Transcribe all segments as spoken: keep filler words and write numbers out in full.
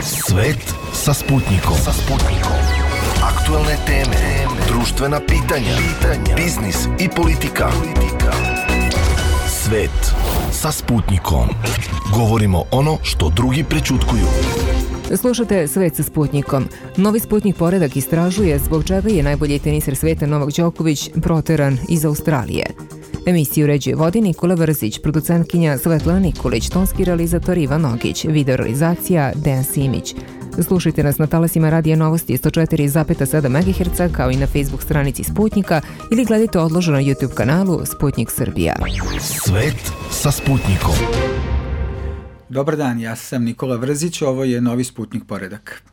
Svet sa Sputnikom. Sa Sputnikom. Aktuelne teme, društvena pitanja, pitanja, biznis i politika. politika. Svet sa Sputnikom. Govorimo ono što drugi prećutkuju. Slušate Svet sa Sputnikom. Novi Sputnik poredak istražuje zbog čega je najbolji teniser sveta Novak Đoković proteran iz Australije. Emisiju uređuje vodi Nikola Vrzić, producentkinja Svetlana Nikolić, tonski realizator Ivan Nogić, video realizacija Dejan Simić. Slušajte nas na talasima Radija Novosti sto četiri zarez sedam megaherca kao i na Facebook stranici Sputnika ili gledajte odloženo na YouTube kanalu Sputnik Srbija. Svet sa Sputnikom. Dobar dan, ja sam Nikola Vrzić, ovo je Novi Sputnik poredak.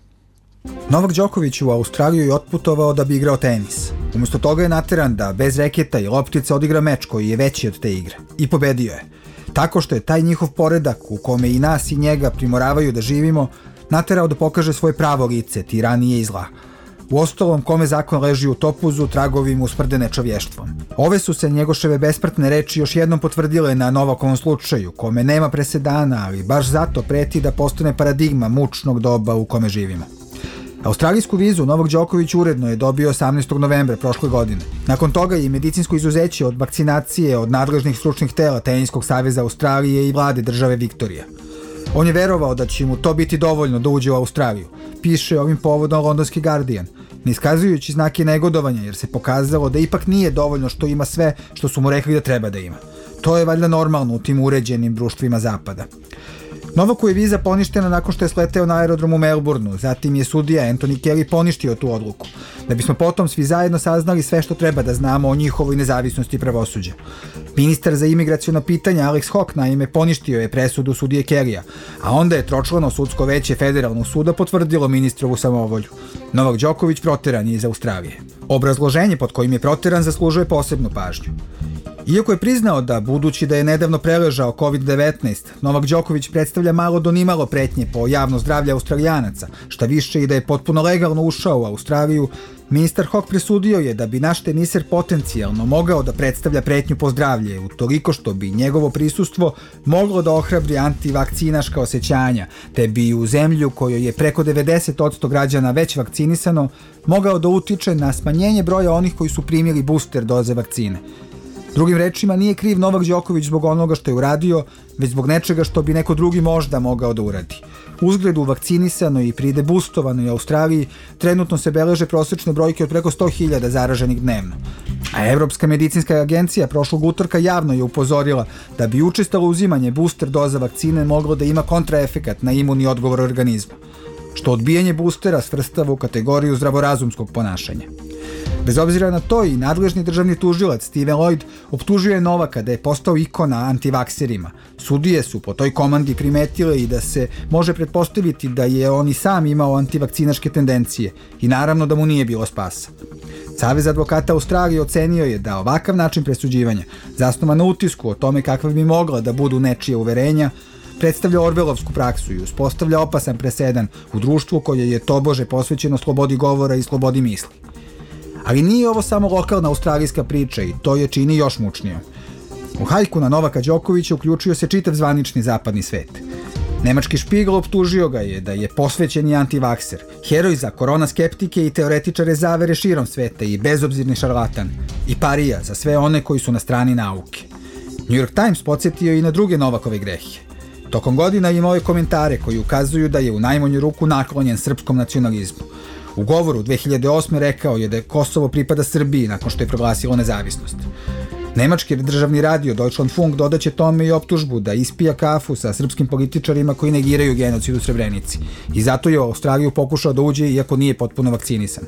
Novak Đoković u Australiju je otputovao da bi igrao tenis. Umjesto toga je nateran da bez reketa i loptice odigra meč koji je veći od te igre. I pobedio je. Tako što je taj njihov poredak, u kome i nas i njega primoravaju da živimo, naterao da pokaže svoje pravo lice, tiranije i zla. Uostalom, kome zakon leži u topuzu, tragovi mu smrde nečovještvom. Ove su se njegoševe besmrtne reči još jednom potvrdile na Novakovom slučaju, kome nema presedana, ali baš zato preti da postane paradigma mučnog doba u kome živimo. Australijsku vizu Novak Đoković uredno je dobio osamnaestog novembra prošle godine. Nakon toga je medicinsko izuzeće od vakcinacije od nadležnih stručnih tela Teniskog saveza Australije i vlade države Viktorija. On je verovao da će mu to biti dovoljno da uđe u Australiju, piše ovim povodom londonski Guardian, ne iskazujući znake negodovanja jer se pokazalo da ipak nije dovoljno što ima sve što su mu rekli da treba da ima. To je valjda normalno u tim uređenim društvima zapada. Novaku je viza poništena nakon što je sleteo na aerodrom u Melbourneu, zatim je sudija Anthony Kelly poništio tu odluku, da bismo potom svi zajedno saznali sve što treba da znamo o njihovoj nezavisnosti pravosuđa. Ministar za imigraciona pitanja Alex Hawke naime poništio je presudu sudije Kellyja, a onda je tročlano sudsko veće federalnog suda potvrdilo ministrovu samovolju. Novak Đoković proteran je iz Australije. Obrazloženje pod kojim je proteran zaslužuje posebnu pažnju. Iako je priznao da, budući da je nedavno preležao kovid devetnaest, Novak Đoković predstavlja malo do nimalo pretnje po javno zdravlje Australijanaca, šta više i da je potpuno legalno ušao u Australiju, ministar Hawke presudio je da bi naš teniser potencijalno mogao da predstavlja pretnju po zdravlje, utoliko što bi njegovo prisustvo moglo da ohrabri antivakcinaška osjećanja, te bi u zemlju kojoj je preko devedeset posto građana već vakcinisano, mogao da utiče na smanjenje broja onih koji su primili booster doze vakcine. Drugim rečima, nije kriv Novak Đoković zbog onoga što je uradio, već zbog nečega što bi neko drugi možda mogao da uradi. Uzgled u vakcinisanoj i pridebustovanoj Australiji trenutno se beleže prosječne brojke od preko sto hiljada zaraženih dnevno. A Evropska medicinska agencija prošlog utorka javno je upozorila da bi učestalo uzimanje booster doza vakcine moglo da ima kontraefekat na imunni odgovor organizma, što odbijanje boostera svrstava u kategoriju zdravorazumskog ponašanja. Bez obzira na to i nadležni državni tužilac Steven Lloyd optužio je Novaka da je postao ikona antivakserima. Sudije su po toj komandi primetile i da se može pretpostaviti da je on i sam imao antivakcinaške tendencije i naravno da mu nije bilo spasa. Savez advokata Australije ocenio je da ovakav način presuđivanja, zasnovan na utisku o tome kakva bi mogla da budu nečija uverenja, predstavlja orvelovsku praksu i uspostavlja opasan presedan u društvu koje je tobože posvećeno slobodi govora i slobodi misli. Ali nije ovo samo lokalna australijska priča i to je čini još mučnije. U hajku na Novaka Đokovića uključio se čitav zvanični zapadni svet. Nemački Špigl optužio ga je da je posvećeni antivakser, heroj za korona skeptike i teoretičare zavere širom sveta i bezobzirni šarlatan, i parija za sve one koji su na strani nauke. New York Times podsjetio i na druge Novakove grehe. Tokom godina imao je komentare koji ukazuju da je u najmanju ruku naklonjen srpskom nacionalizmu. U govoru dve hiljade osme rekao je da je Kosovo pripada Srbiji nakon što je proglasilo nezavisnost. Nemački državni radio Deutschlandfunk dodaće tome i optužbu da ispija kafu sa srpskim političarima koji negiraju genocid u Srebrenici i zato je u Australiju pokušao da uđe iako nije potpuno vakcinisan.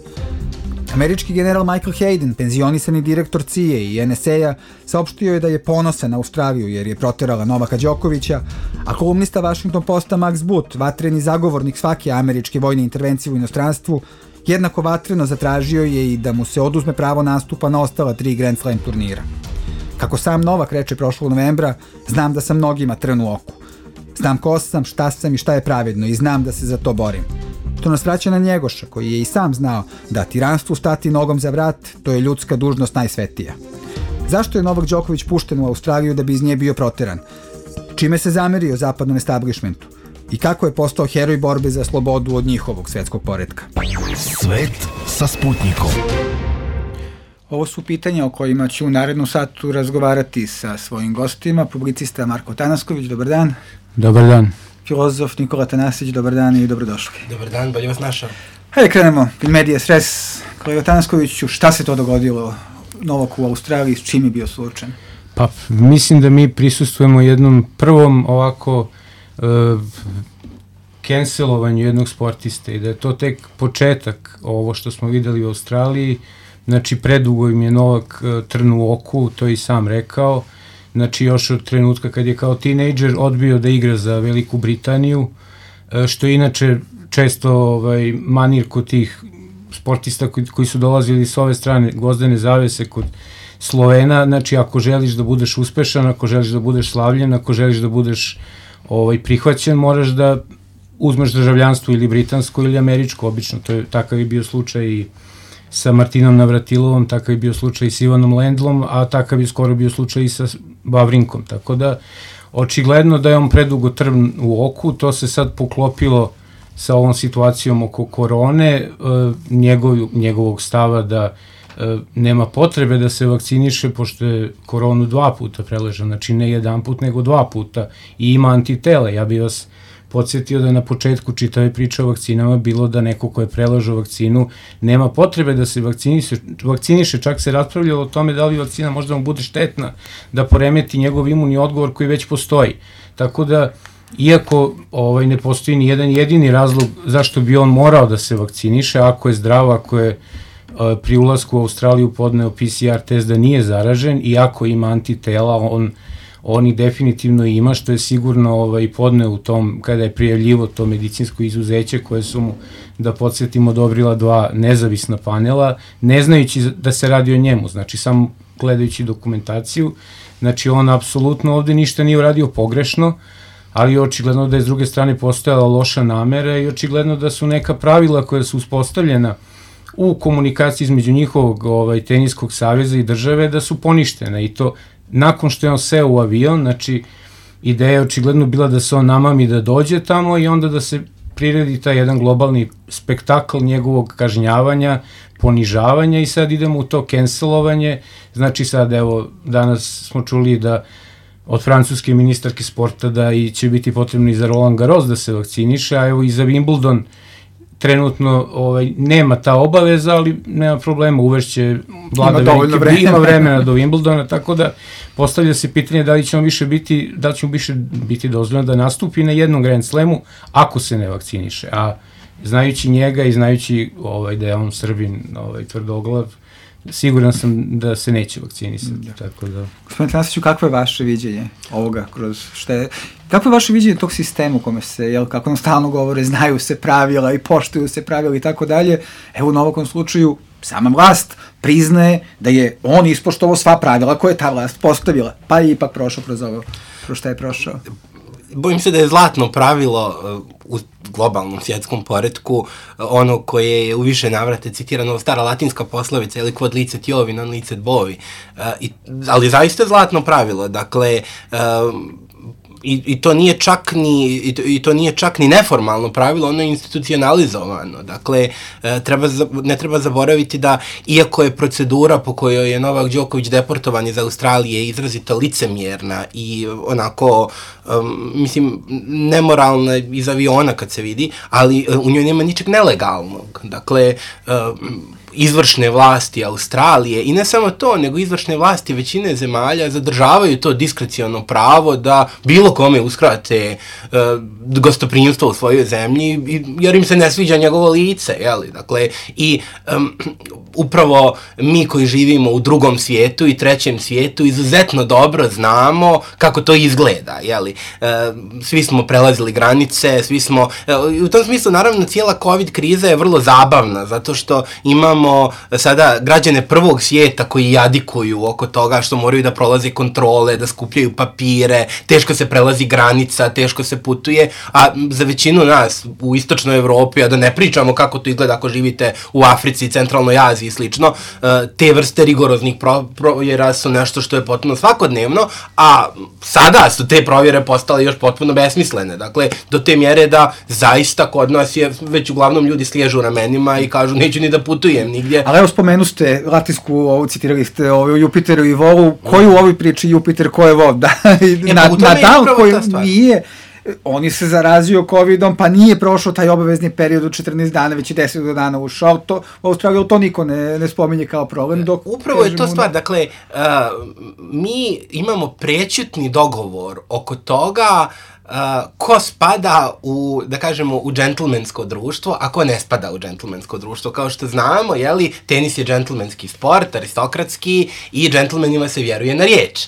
Američki general Michael Hayden, penzionisani direktor C I A i N S A-a, saopštio je da je ponosan na Australiju jer je proterala Novaka Đokovića, a kolumnista Washington Posta Max Boot, vatreni zagovornik svake američke vojne intervencije u inostranstvu, jednako vatreno zatražio je i da mu se oduzme pravo nastupa na ostala tri Grand Slam turnira. Kako sam Novak reče prošlog novembra, znam da sam mnogima trn u oku. Znam ko sam, šta sam i šta je pravedno i znam da se za to borim. To nas vraća na Njegoša, koji je i sam znao da tiranstvu stati nogom za vrat, to je ljudska dužnost najsvetija. Zašto je Novak Đoković pušten u Australiju da bi iz nje bio proteran? Čime se zamerio zapadnom establishmentu? i kako je postao heroj borbe za slobodu od njihovog svetskog poretka. Svet sa Sputnikom. Ovo su pitanja o kojima ću u narednom satu razgovarati sa svojim gostima. Publicista Marko Tanasković, dobar dan. Dobar dan. Filozof Nikola Tanasić, dobar dan i dobrodošli. Dobar dan, bolje vas našao. Hajde krenemo, medias res. Kolega Tanaskoviću, šta se to dogodilo novog u Australiji, s čim je bio suočen? Pa, mislim da mi prisustujemo jednom prvom ovako uh, cancelovanju jednog sportiste i da je to tek početak ovo što smo videli u Australiji. Znači, predugo im je Novak uh, trn u oku, to je i sam rekao. Znači, još od trenutka kad je kao tinejdžer odbio da igra za Veliku Britaniju, uh, što je inače često ovaj, manir kod tih sportista koji, koji su dolazili s ove strane gvozdene zavese kod Slovena. Znači, ako želiš da budeš uspešan, ako želiš da budeš slavljen, ako želiš da budeš ovaj, prihvaćen, moraš da uzmeš državljanstvo ili britansko ili američko, obično. To je, takav je bio slučaj i sa Martinom Navratilovom, takav je bio slučaj i s Ivanom Lendlom, a takav je skoro bio slučaj i sa Vavrinkom. Tako da, očigledno da je on predugo trn u oku, to se sad poklopilo sa ovom situacijom oko korone, e, njegov, njegovog stava da e, nema potrebe da se vakciniše, pošto je koronu dva puta preležao, znači ne jedan put, nego dva puta i ima antitele. Ja bih vas podsjetio da je na početku čitave priče o vakcinama bilo da neko ko je preležao vakcinu nema potrebe da se vakciniše, vakciniše, čak se raspravljalo o tome da li vakcina možda mu bude štetna, da poremeti njegov imunni odgovor koji već postoji. Tako da, iako ovaj, ne postoji ni jedan jedini razlog zašto bi on morao da se vakciniše, ako je zdrav, ako je uh, pri ulasku u Australiju podneo P C R test da nije zaražen i ako ima antitela, on, on ih definitivno ima, što je sigurno ovaj, podneo u tom, kada je prijavljivo to medicinsko izuzeće koje su mu, da podsjetimo, odobrila dva nezavisna panela, ne znajući da se radi o njemu, znači samo gledajući dokumentaciju. Znači, on apsolutno ovde ništa nije uradio pogrešno, ali je očigledno da je s druge strane postojala loša namera i očigledno da su neka pravila koja su uspostavljena u komunikaciji između njihovog ovaj, teniskog saveza i države da su poništene i to nakon što je on seo u avion. Znači, ideja je očigledno bila da se on namami da dođe tamo i onda da se priredi taj jedan globalni spektakl njegovog kažnjavanja, ponižavanja i sad idemo u to cancelovanje. Znači sad, evo, danas smo čuli da od francuske ministarke sporta da i će biti potrebno i za Roland Garros da se vakciniše, a evo i za Wimbledon trenutno ovaj, nema ta obaveza, ali nema problema, uvešće vlada velike, vremena. Ima vremena do Wimbledona, tako da postavlja se pitanje da li će mu više biti, da li će mu više biti dozvoljeno da nastupi na jednom Grand Slamu ako se ne vakciniše, a znajući njega i znajući ovaj, da je on Srbin ovaj, tvrdoglav, siguran sam da se neće vakcinisati, da. Tako da... Gospodine Tanasiću, kakvo je vaše viđenje ovoga kroz šta je... Kako je vaše viđenje tog sistema u kome se, jel, kako nam stalno govore, znaju se pravila i poštuju se pravila i tako dalje, evo u ovom slučaju sama vlast priznaje da je on ispoštovao sva pravila koje je ta vlast postavila, pa je ipak prošao kroz ovo, kroz šta je prošao. Bojim se da je zlatno pravilo u globalnom svjetskom poretku ono koje je u više navrate citirano, stara latinska poslovica, ili quod licet iovi, non licet bovi. I, ali zaista je zlatno pravilo, dakle, I, i to nije čak ni i to, i to nije čak ni neformalno pravilo, ono je institucionalizovano. Dakle, treba, ne treba zaboraviti da, iako je procedura po kojoj je Novak Đoković deportovan iz Australije izrazito licemjerna i onako, um, mislim, nemoralna iz aviona kad se vidi, ali u njoj nema ničeg nelegalnog. Dakle, um, izvršne vlasti Australije i ne samo to, nego izvršne vlasti većine zemalja zadržavaju to diskreciono pravo da bilo kome uskrate uh, gostoprimstvo u svojoj zemlji, jer im se ne sviđa njegovo lice, jeli? Dakle, i um, upravo mi koji živimo u drugom svijetu i trećem svijetu izuzetno dobro znamo kako to izgleda, jeli? Uh, svi smo prelazili granice, svi smo, uh, u tom smislu naravno cijela COVID kriza je vrlo zabavna, zato što imamo imamo sada građane prvog svijeta koji jadikuju oko toga što moraju da prolaze kontrole, da skupljaju papire, teško se prelazi granica, teško se putuje, a za većinu nas u istočnoj Evropi, a da ne pričamo kako to izgleda ako živite u Africi, Centralnoj Aziji i slično, te vrste rigoroznih provjera su nešto što je potpuno svakodnevno, a sada su te provjere postale još potpuno besmislene. Dakle, do te mjere da zaista kod nas je već uglavnom ljudi sliježu ramenima i kažu neću ni da putujem nigdje. Ali evo spomenu ste latinsku, ovo citirali ste o Jupiteru i Volu, koji u ovoj priči Jupiter, ko je Vol? Da, e, na, Nadal koji nije, on je se zarazio covidom, pa nije prošao taj obavezni period od četrnaest dana, već i deset dana ušao, to, u Australiji to niko ne, ne spominje kao problem. Dok, Upravo je to stvar, dakle, uh, mi imamo prećutni dogovor oko toga Uh, ko spada u, da kažemo, u džentlmensko društvo, a ko ne spada u džentlmensko društvo. Kao što znamo, jeli, tenis je džentlmenski sport, aristokratski, i džentlmenima se vjeruje na riječ.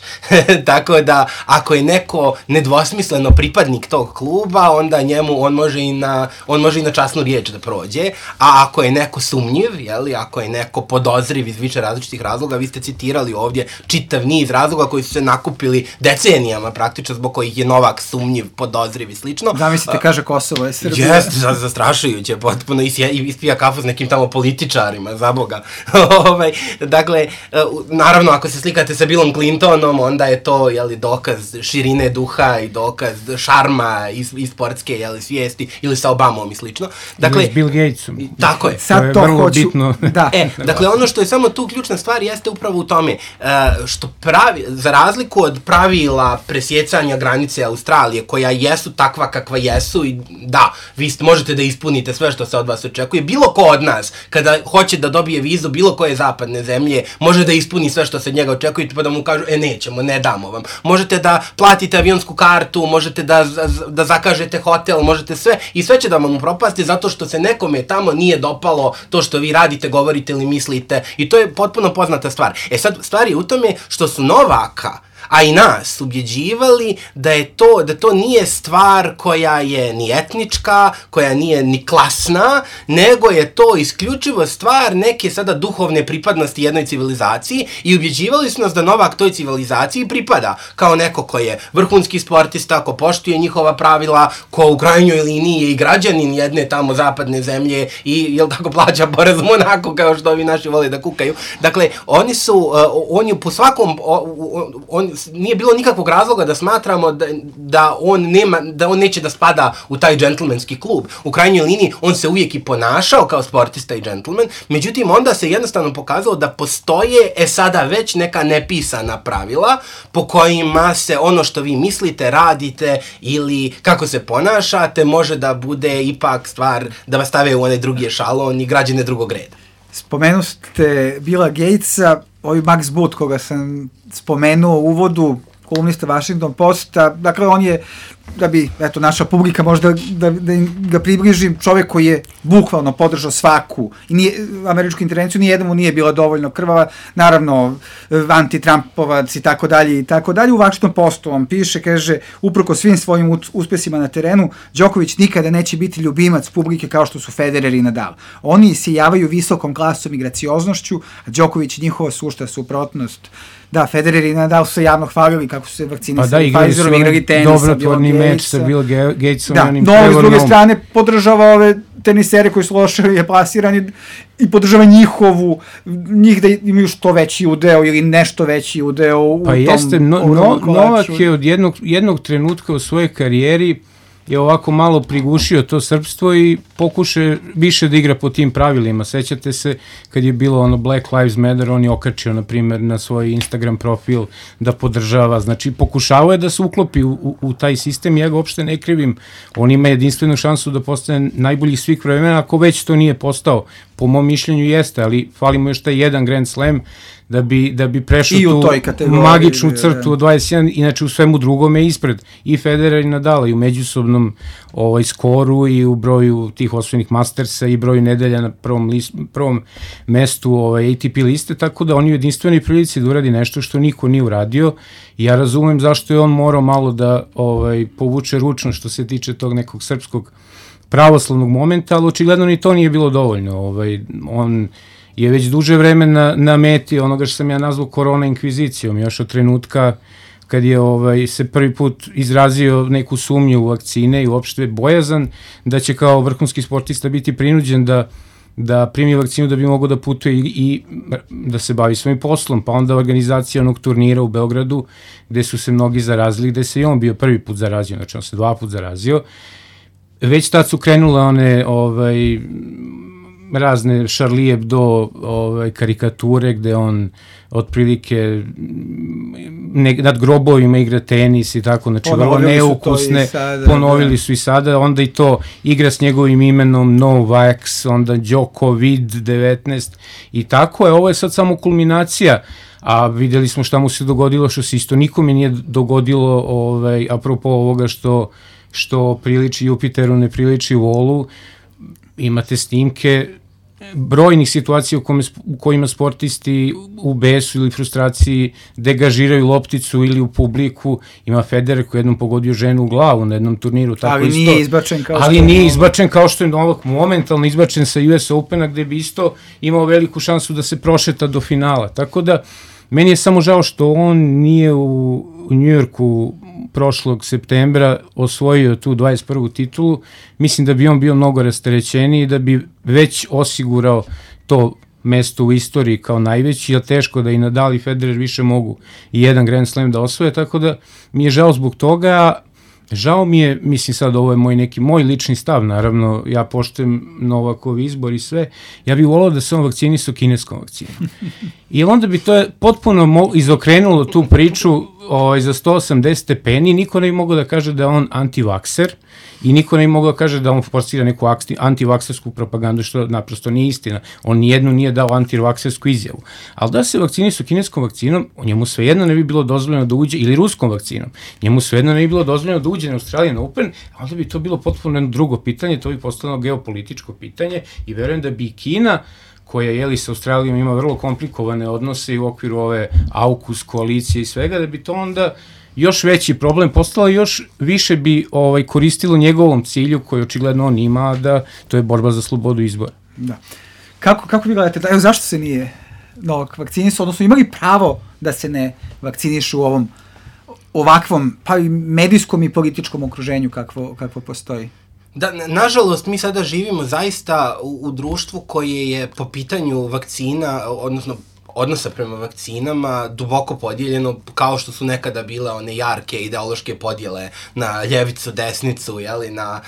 Tako da, ako je neko nedvosmisleno pripadnik tog kluba, onda njemu, on može i na, on može i na časnu riječ da prođe, a ako je neko sumnjiv, jeli, ako je neko podozriv iz više različitih razloga, vi ste citirali ovdje čitav niz razloga koji su se nakupili decenijama, praktično zbog kojih je Novak sumnjiv, podozriv i slično. Zamislite, kaže Kosovo je Srbija. Jeste, zastrašujuće, potpuno, i ispija kafu s nekim tamo političarima, za Boga. ovaj, dakle, naravno, ako se slikate sa Billom Clintonom, onda je to, jeli, dokaz širine duha i dokaz šarma i, i sportske, jeli, svijesti, ili sa Obamom i slično. Dakle, ili s Bill Gatesom. Tako je. Sad to je to vrlo hoću, bitno. Da. E, dakle, ono što je samo tu ključna stvar jeste upravo u tome, što pravi, za razliku od pravila presjecanja granice Australije, koja jesu takva kakva jesu i da, vi možete da ispunite sve što se od vas očekuje. Bilo ko od nas, kada hoće da dobije vizu bilo koje zapadne zemlje, može da ispuni sve što se od njega očekuje, pa da mu kažu, e nećemo, ne damo vam. Možete da platite avionsku kartu, možete da, da zakažete hotel, možete sve, i sve će da vam upropasti zato što se nekome tamo nije dopalo to što vi radite, govorite ili mislite, i to je potpuno poznata stvar. E sad, stvar je u tome što su Novaka, a i nas ubjeđivali da je to, da to nije stvar koja je ni etnička, koja nije ni klasna, nego je to isključivo stvar neke sada duhovne pripadnosti jednoj civilizaciji, i ubjeđivali su nas da Novak toj civilizaciji pripada kao neko ko je vrhunski sportista, ko poštuje njihova pravila, ko u krajnjoj liniji je i građanin jedne tamo zapadne zemlje i, jel tako, plaća porez u Monaku, kao što ovi naši vole da kukaju. Dakle, oni su, uh, on je po svakom, on, on nije bilo nikakvog razloga da smatramo da, da, on nema, da on neće da spada u taj džentlmenski klub. U krajnjoj liniji on se uvijek i ponašao kao sportista i džentlmen, međutim onda se jednostavno pokazalo da postoje, e sada već, neka nepisana pravila po kojima se ono što vi mislite, radite ili kako se ponašate može da bude ipak stvar da vas stave u onaj drugi ešalon i građane drugog reda. Spomenuli ste Billa Gatesa, ovaj Max Boot koga sam spomenuo u uvodu, kolumnista Washington Posta, dakle on je, da bi, eto, naša publika možda da, da ga približim, čovjek koji je bukvalno podržao svaku, i nije, američku intervenciju, nijedna mu nije bila dovoljno krvava, naravno, anti-Trumpovac i tako dalje i tako dalje. U Washington Postu on piše, kaže, uprko svim svojim uspjesima na terenu, Đoković nikada neće biti ljubimac publike kao što su Federer i Nadal. Oni isijavaju visokom klasom i gracioznošću, a Đoković i njihova sušta suprotnost. Da, Federer i Nadal su se javno hvalili kako su se vakcinisali, pa da, igrali Pfizerom, igrali tenisa, dobrotvorni meč sa Bill Gatesom. Da, no, s druge strane podržava ove tenisere koji su loše je plasirani i podržava njihovu, njih da imaju što veći udeo ili nešto veći udeo u pa tom jeste, no, no, Novak je od jednog, jednog trenutka u svojoj karijeri je ovako malo prigušio to srpstvo i pokuše više da igra po tim pravilima. Sećate se kad je bilo ono Black Lives Matter, on je okačio, na primjer, na svoj Instagram profil da podržava. Znači, pokušavao je da se uklopi u, u, u taj sistem, ja ga uopšte ne krivim. On ima jedinstvenu šansu da postane najbolji svih vremena, ako već to nije postao. Po mom mišljenju jeste, ali falimo još taj jedan Grand Slam da bi, da bi prešao tu magičnu crtu od dvadeset jedan, inače u svemu drugome ispred i Federer i Nadala, i u međusobnom ovaj, skoru i u broju tih osvojenih Mastersa i broju nedelja na prvom, list, prvom mestu ovaj, A T P liste, tako da on je u jedinstvenoj prilici da uradi nešto što niko nije uradio, i ja razumem zašto je on morao malo da ovaj, povuče ručno što se tiče tog nekog srpskog pravoslavnog momenta, ali očigledno ni to nije bilo dovoljno. Ovaj, on je već duže vreme na, na meti onoga što sam ja nazvao korona inkvizicijom, još od trenutka kad je ovaj, se prvi put izrazio neku sumnju u vakcine i uopšte bojazan da će kao vrhunski sportista biti prinuđen da da primi vakcinu da bi mogao da putuje i, i da se bavi svojim poslom, pa onda organizacija onog turnira u Beogradu gde su se mnogi zarazili, gde se i on bio prvi put zarazio, znači on se dva put zarazio. Već tad su krenule one ovaj, razne Charlie Hebdo ovaj, karikature gde on otprilike ne, nad grobovima igra tenis i tako, znači vrlo neukusne, sada, ponovili da. su i sada, onda i to igra s njegovim imenom Novax, onda Djokovic devetnaest i tako je, ovo je sad samo kulminacija, a videli smo šta mu se dogodilo, što se isto nikome nije dogodilo, ovaj, apropo ovoga što, što priliči Jupiteru, ne priliči Volu, imate snimke brojnih situacija u, kome, u kojima sportisti u besu ili frustraciji degažiraju lopticu ili u publiku. Ima Federer koji jednom pogodio ženu u glavu na jednom turniru. Tako ali isto, nije izbačen kao ali što nije izbačen kao što je Novak momentalno izbačen sa U S Opena gde bi isto imao veliku šansu da se prošeta do finala. Tako da meni je samo žao što on nije u, u Njujorku prošlog septembra osvojio tu dvadeset prvu titulu. Mislim da bi on bio mnogo rasterećeniji, da bi već osigurao to mesto u istoriji kao najveći, jer teško da i Nadal i Federer više mogu i jedan Grand Slam da osvoje, tako da mi je žao zbog toga. Žao mi je, mislim sad ovo je moj neki moj lični stav, naravno ja poštujem Novakov izbor i sve, ja bih volao da se on vakcinisao kineskom vakcinom. I onda bi to potpuno izokrenulo tu priču ovaj, za sto osamdeset stepeni, niko ne bi mogao da kaže da je on antivakser i niko ne bi mogao da kaže da on forsira neku antivaksersku propagandu, što naprosto nije istina. On nijednu nije dao antivaksersku izjavu. Ali da se vakcinisao kineskom vakcinom, njemu svejedno ne bi bilo dozvoljeno da uđe, ili ruskom vakcinom, njemu svejedno ne bi bilo dozvoljeno da uđe na Australian Open, a onda bi to bilo potpuno jedno drugo pitanje, to bi postalo geopolitičko pitanje i verujem da bi i Kina, koja jeli sa Australijom ima vrlo komplikovane odnose i u okviru ove AUKUS koalicije i svega, da bi to onda još veći problem postalo, još više bi ovaj, koristilo njegovom cilju koji očigledno on ima, da to je borba za slobodu izbora. Da. Kako, kako vi gledate, da, evo zašto se nije Novak vakcinisao, odnosno imali pravo da se ne vakcinišu u ovom ovakvom, pa i medijskom i političkom okruženju kakvo, kakvo postoji? Da, nažalost, mi sada živimo zaista u, u društvu koje je po pitanju vakcina, odnosno odnosa prema vakcinama duboko podijeljeno, kao što su nekada bile one jarke ideološke podjele na ljevicu, desnicu, jeli, na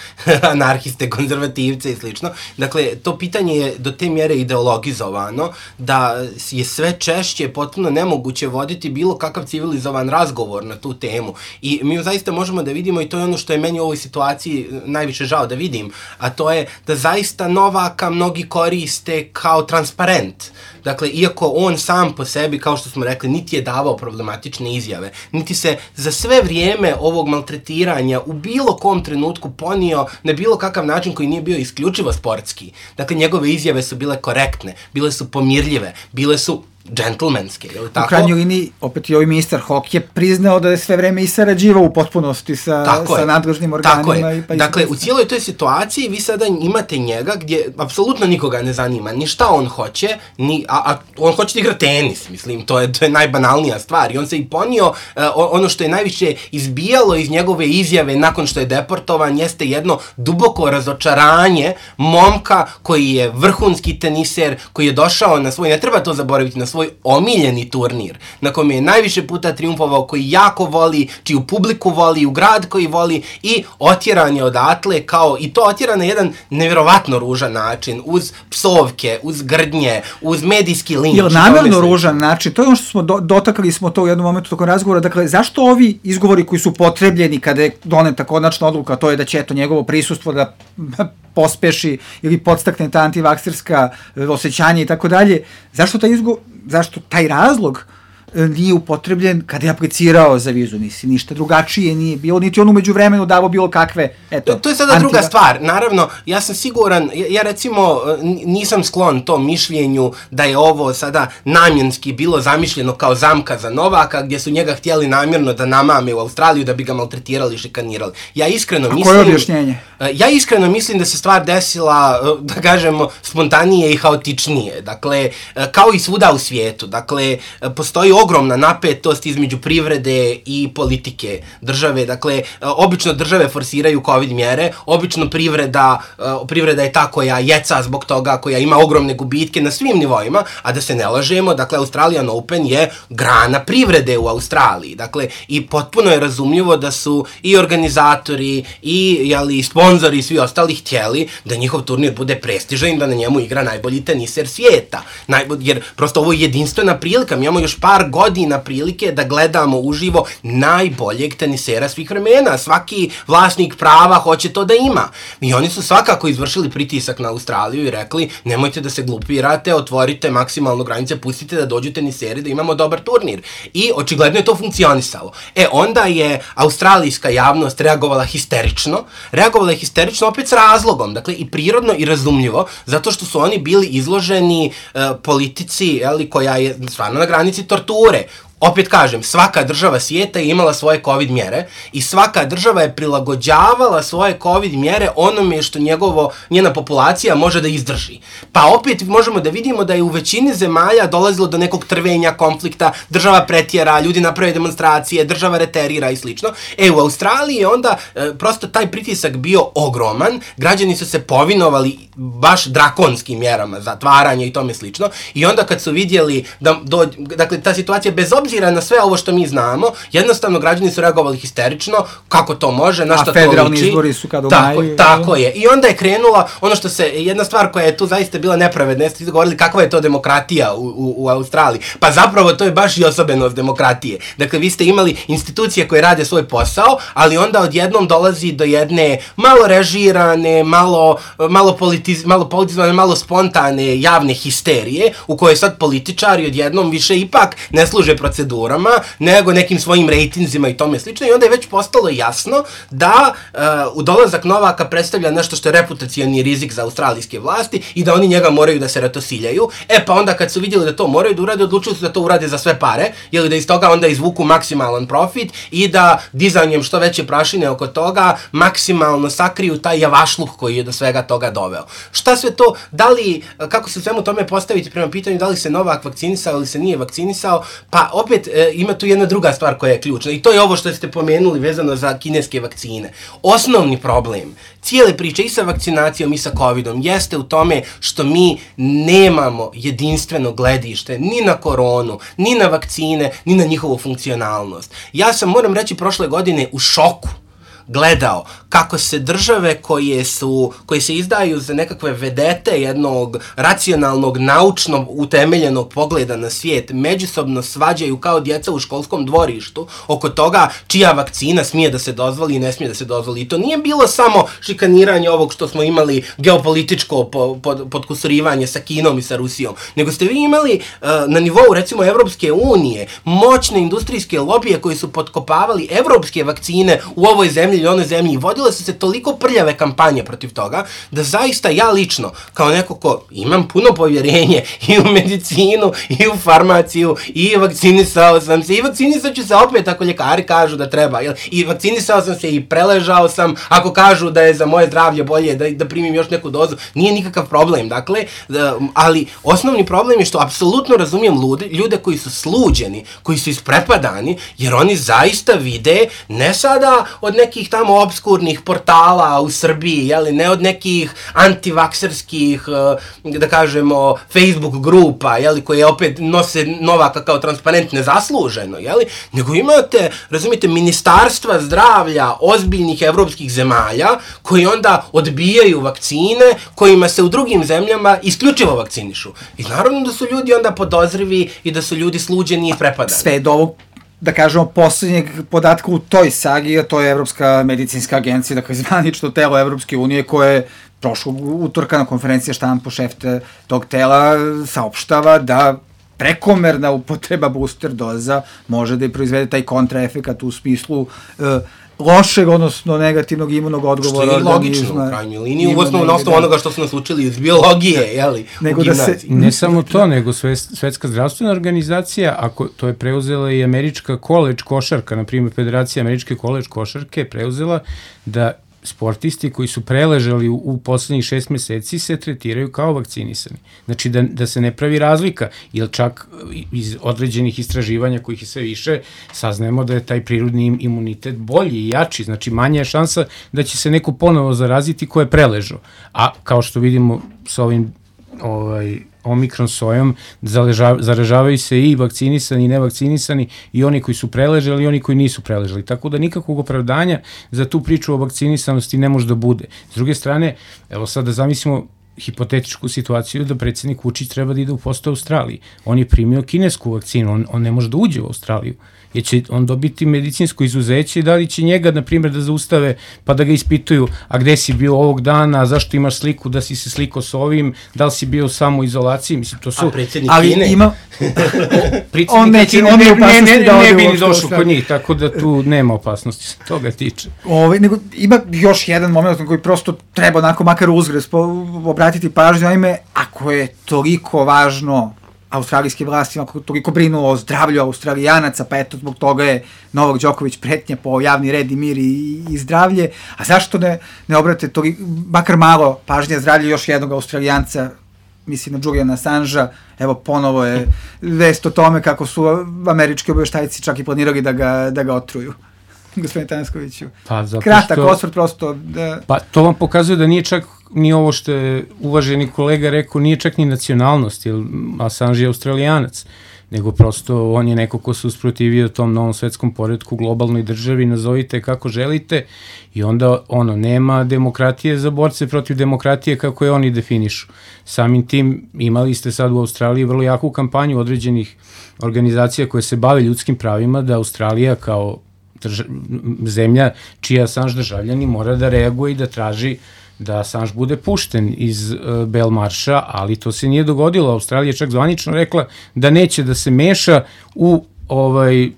anarhiste, konzervativce i slično. Dakle, to pitanje je do te mjere ideologizovano da je sve češće potpuno nemoguće voditi bilo kakav civilizovan razgovor na tu temu. I mi zaista možemo da vidimo, i to je ono što je meni u ovoj situaciji najviše žao da vidim, a to je da zaista Novaka mnogi koriste kao transparent. Dakle, iako on sam po sebi, kao što smo rekli, niti je davao problematične izjave, niti se za sve vrijeme ovog maltretiranja u bilo kom trenutku ponio na bilo kakav način koji nije bio isključivo sportski. Dakle, njegove izjave su bile korektne, bile su pomirljive, bile su džentlmenske, je li tako? U krajnjoj liniji, opet i ovaj ministar Hok je priznao da je sve vreme i sarađivao u potpunosti sa, sa nadležnim organima. I pa dakle, u cijeloj toj situaciji vi sada imate njega gdje apsolutno nikoga ne zanima ni šta on hoće, ni, a, a on hoće da igra tenis, mislim, to je, to je najbanalnija stvar. I on se i ponio, uh, ono što je najviše izbijalo iz njegove izjave nakon što je deportovan, jeste jedno duboko razočaranje momka koji je vrhunski teniser, koji je došao na svoj, ne treba to zaboraviti, na svoj omiljeni turnir, na kojem je najviše puta triumfovao, koji jako voli, čiju publiku voli, u grad koji voli, i otjeran je odatle, kao, i to otjeran na jedan nevjerovatno ružan način, uz psovke, uz grdnje, uz medijski linč. Jel namjerno ružan način? To je ono što smo do, dotakli smo to u jednom momentu tokom razgovora. Dakle, zašto ovi izgovori koji su potrebljeni kada je doneta konačna odluka, to je da će eto njegovo prisustvo da pospeši ili podstakne ta antivakserska osjećanja i tako dalje, zašto taj izgovor, zašto taj razlog nije upotrebljen kada je aplicirao za vizu, nisi ništa drugačije nije bilo, niti on umeđu vremenu davo bilo kakve, eto. To, to je sada antiva... druga stvar, naravno, ja sam siguran, ja, ja recimo nisam sklon tom mišljenju da je ovo sada namjenski bilo zamišljeno kao zamka za Novaka, gdje su njega htjeli namjerno da namame u Australiju da bi ga maltretirali i šikanirali. Ja iskreno A mislim... koje je objašnjenje? Ja iskreno mislim da se stvar desila, da kažemo, spontanije i haotičnije, dakle, kao i svuda u svijetu, dakle, postoji ogromna napetost između privrede i politike države. Dakle, obično države forsiraju COVID mjere, obično privreda, privreda je ta koja jeca zbog toga, koja ima ogromne gubitke na svim nivoima, a da se ne lažemo, dakle, Australian Open je grana privrede u Australiji. Dakle, i potpuno je razumljivo da su i organizatori i, jeli, sponzori i svi ostali htjeli da njihov turnir bude prestižan i da na njemu igra najbolji teniser svijeta. Najbolj, jer prosto ovo je jedinstvena prilika, mi imamo još par godina prilike da gledamo uživo najboljeg tenisera svih vremena. Svaki vlasnik prava hoće to da ima. I oni su svakako izvršili pritisak na Australiju i rekli, nemojte da se glupirate, otvorite maksimalno granice, pustite da dođu teniseri, da imamo dobar turnir. I očigledno je to funkcionisalo. E, onda je australijska javnost reagovala histerično. Reagovala je histerično opet s razlogom, dakle i prirodno i razumljivo, zato što su oni bili izloženi uh, politici, jeli, koja je stvarno na granici torture. Opet kažem, svaka država svijeta je imala svoje COVID mjere i svaka država je prilagođavala svoje COVID mjere onome što njegovo, njena populacija može da izdrži. Pa opet možemo da vidimo da je u većini zemalja dolazilo do nekog trvenja, konflikta, država pretjera, ljudi naprave demonstracije, država reterira i slično. E, u Australiji je onda e, prosto taj pritisak bio ogroman, građani su se povinovali baš drakonskim mjerama, zatvaranje i tome slično, i onda kad su vidjeli da, do, dakle, ta situacija bez obzira na sve ovo što mi znamo, jednostavno građani su reagovali histerično, kako to može, na što to liči. A federalni izbori su kad u tako, maju. Tako je. I onda je krenula ono što se, jedna stvar koja je tu zaista bila nepravedna, jeste govorili kakva je to demokratija u, u, u Australiji. Pa zapravo to je baš i osobenost demokratije. Dakle, vi ste imali institucije koje rade svoj posao, ali onda odjednom dolazi do jedne malo režirane, malo, malo, politiz, malo politizovane, malo spontane javne histerije, u kojoj sad političari odjednom više ipak ne služe procedurama, nego nekim svojim rejtinzima i tome slično, i onda je već postalo jasno da uh, u dolazak Novaka predstavlja nešto što je reputacioni rizik za australijske vlasti i da oni njega moraju da se ratosiljaju. E pa onda kad su vidjeli da to moraju da urade, odlučili su da to urade za sve pare, jer da iz toga onda izvuku maksimalan profit i da dizanjem što veće prašine oko toga maksimalno sakriju taj javašluk koji je do svega toga doveo. Šta sve to, da li, kako se u svemu tome postaviti prema pitanju da li se Novak vakcinisao ili se nije vakcinisao, pa opet e, ima tu jedna druga stvar koja je ključna i to je ovo što ste pomenuli vezano za kineske vakcine. Osnovni problem cijele priče i sa vakcinacijom i sa covidom jeste u tome što mi nemamo jedinstveno gledište ni na koronu, ni na vakcine, ni na njihovu funkcionalnost. Ja sam, moram reći, prošle godine u šoku gledao kako se države koje su, koje se izdaju za nekakve vedete jednog racionalnog, naučno utemeljenog pogleda na svijet, međusobno svađaju kao djeca u školskom dvorištu oko toga čija vakcina smije da se dozvoli i ne smije da se dozvoli. I to nije bilo samo šikaniranje ovog što smo imali geopolitičko pod, podkusurivanje sa Kinom i sa Rusijom, nego ste vi imali uh, na nivou recimo Evropske unije moćne industrijske lobije koji su potkopavali evropske vakcine u ovoj zemlji ili onoj zemlji i vodile su se toliko prljave kampanje protiv toga, da zaista ja lično, kao neko ko imam puno povjerenje i u medicinu, i u farmaciju, i vakcinisao sam se, i vakcinisat ću se opet ako ljekari kažu da treba, jel? I vakcinisao sam se i preležao sam, ako kažu da je za moje zdravlje bolje da, da primim još neku dozu, nije nikakav problem, dakle, ali osnovni problem je što apsolutno razumijem ljude, ljude koji su sluđeni, koji su isprepadani, jer oni zaista vide, ne sada od nekih tamo obskurnih portala u Srbiji, jeli, ne od nekih antivakserskih, da kažemo, Facebook grupa, jeli, koje opet nose Novaka kao transparent nezasluženo, jeli, nego imate, razumite, ministarstva zdravlja ozbiljnih evropskih zemalja koji onda odbijaju vakcine kojima se u drugim zemljama isključivo vakcinišu. I naravno da su ljudi onda podozrivi i da su ljudi sluđeni i prepadani. Sve do ovog, da kažemo, posljednjeg podatka u toj sagi, a to je Evropska medicinska agencija, dakle zvanično telo Evropske unije koje prošlog utorka na konferencije štampu šef tog tela saopštava da prekomerna upotreba booster doza može da i proizvede taj kontraefekat u smislu uh, lošeg, odnosno negativnog imunog odgovora. Što je logično u krajnjoj liniji, u osnovu na osnovu onoga što su nas učili iz biologije, jeli, nego u gimnaziji. Da se, ne samo to, nego Svetska zdravstvena organizacija, ako to je preuzela i američka koleđ košarka, na primjer Federacija američke koleđ košarke je preuzela da sportisti koji su preležali u, u poslednjih šest meseci se tretiraju kao vakcinisani. Znači da, da se ne pravi razlika, jer čak iz određenih istraživanja kojih je sve više, saznajemo da je taj prirodni imunitet bolji i jači, znači manja je šansa da će se neko ponovo zaraziti ko je preležao. A kao što vidimo sa ovim ovaj, omikron sojom, zaražavaju se i vakcinisani i nevakcinisani i oni koji su preležali i oni koji nisu preležali. Tako da nikakvog opravdanja za tu priču o vakcinisanosti ne može da bude. S druge strane, evo sad da zamislimo hipotetičku situaciju da predsjednik Vučić treba da ide u posto Australiji. On je primio kinesku vakcinu, on, on ne može da uđe u Australiju. Jer će on dobiti medicinsko izuzeće i da li će njega, na primjer, da zaustave pa da ga ispituju, a gde si bio ovog dana, zašto imaš sliku, da si se slikao s ovim, da li si bio u samoizolaciji, mislim, to su... A predsjednik ali Kine? Ima... on neće, on ne, ne, ne, ne, ne bi ni došao kod njih, tako da tu nema opasnosti se toga tiče. Ove, nego, ima još jedan moment na koji prosto treba onako makar uzgres obratiti pažnju, naime, ako je toliko važno australijske vlasti, ako toliko brinu o zdravlju Australijanaca, pa eto zbog toga je Novak Đoković pretnja po javni red i mir i, i zdravlje, a zašto ne, ne obrate toliko, makar malo pažnje zdravlje još jednog Australijanca, mislim na Juliana Assangea, evo ponovo je vest o tome kako su američki obaveštajci čak i planirali da ga, da ga otruju. Gospodine Tanaskoviću. Pa, kratak što, osvrt prosto. Da... Pa to vam pokazuje da nije čak ni ovo što je uvaženi kolega rekao, nije čak ni nacionalnost, jer Assange je Australijanac, nego prosto on je neko ko se usprotivio tom novom svetskom poretku, globalnoj državi, nazovite kako želite, i onda ono, nema demokratije za borce protiv demokratije kako je oni definišu. Samim tim imali ste sad u Australiji vrlo jaku kampanju određenih organizacija koje se bave ljudskim pravima, da Australija kao drža, zemlja čija Assange državljani mora da reaguje i da traži da Assange bude pušten iz uh, Belmarša, ali to se nije dogodilo. Australija je čak zvanično rekla da neće da se meša u ovaj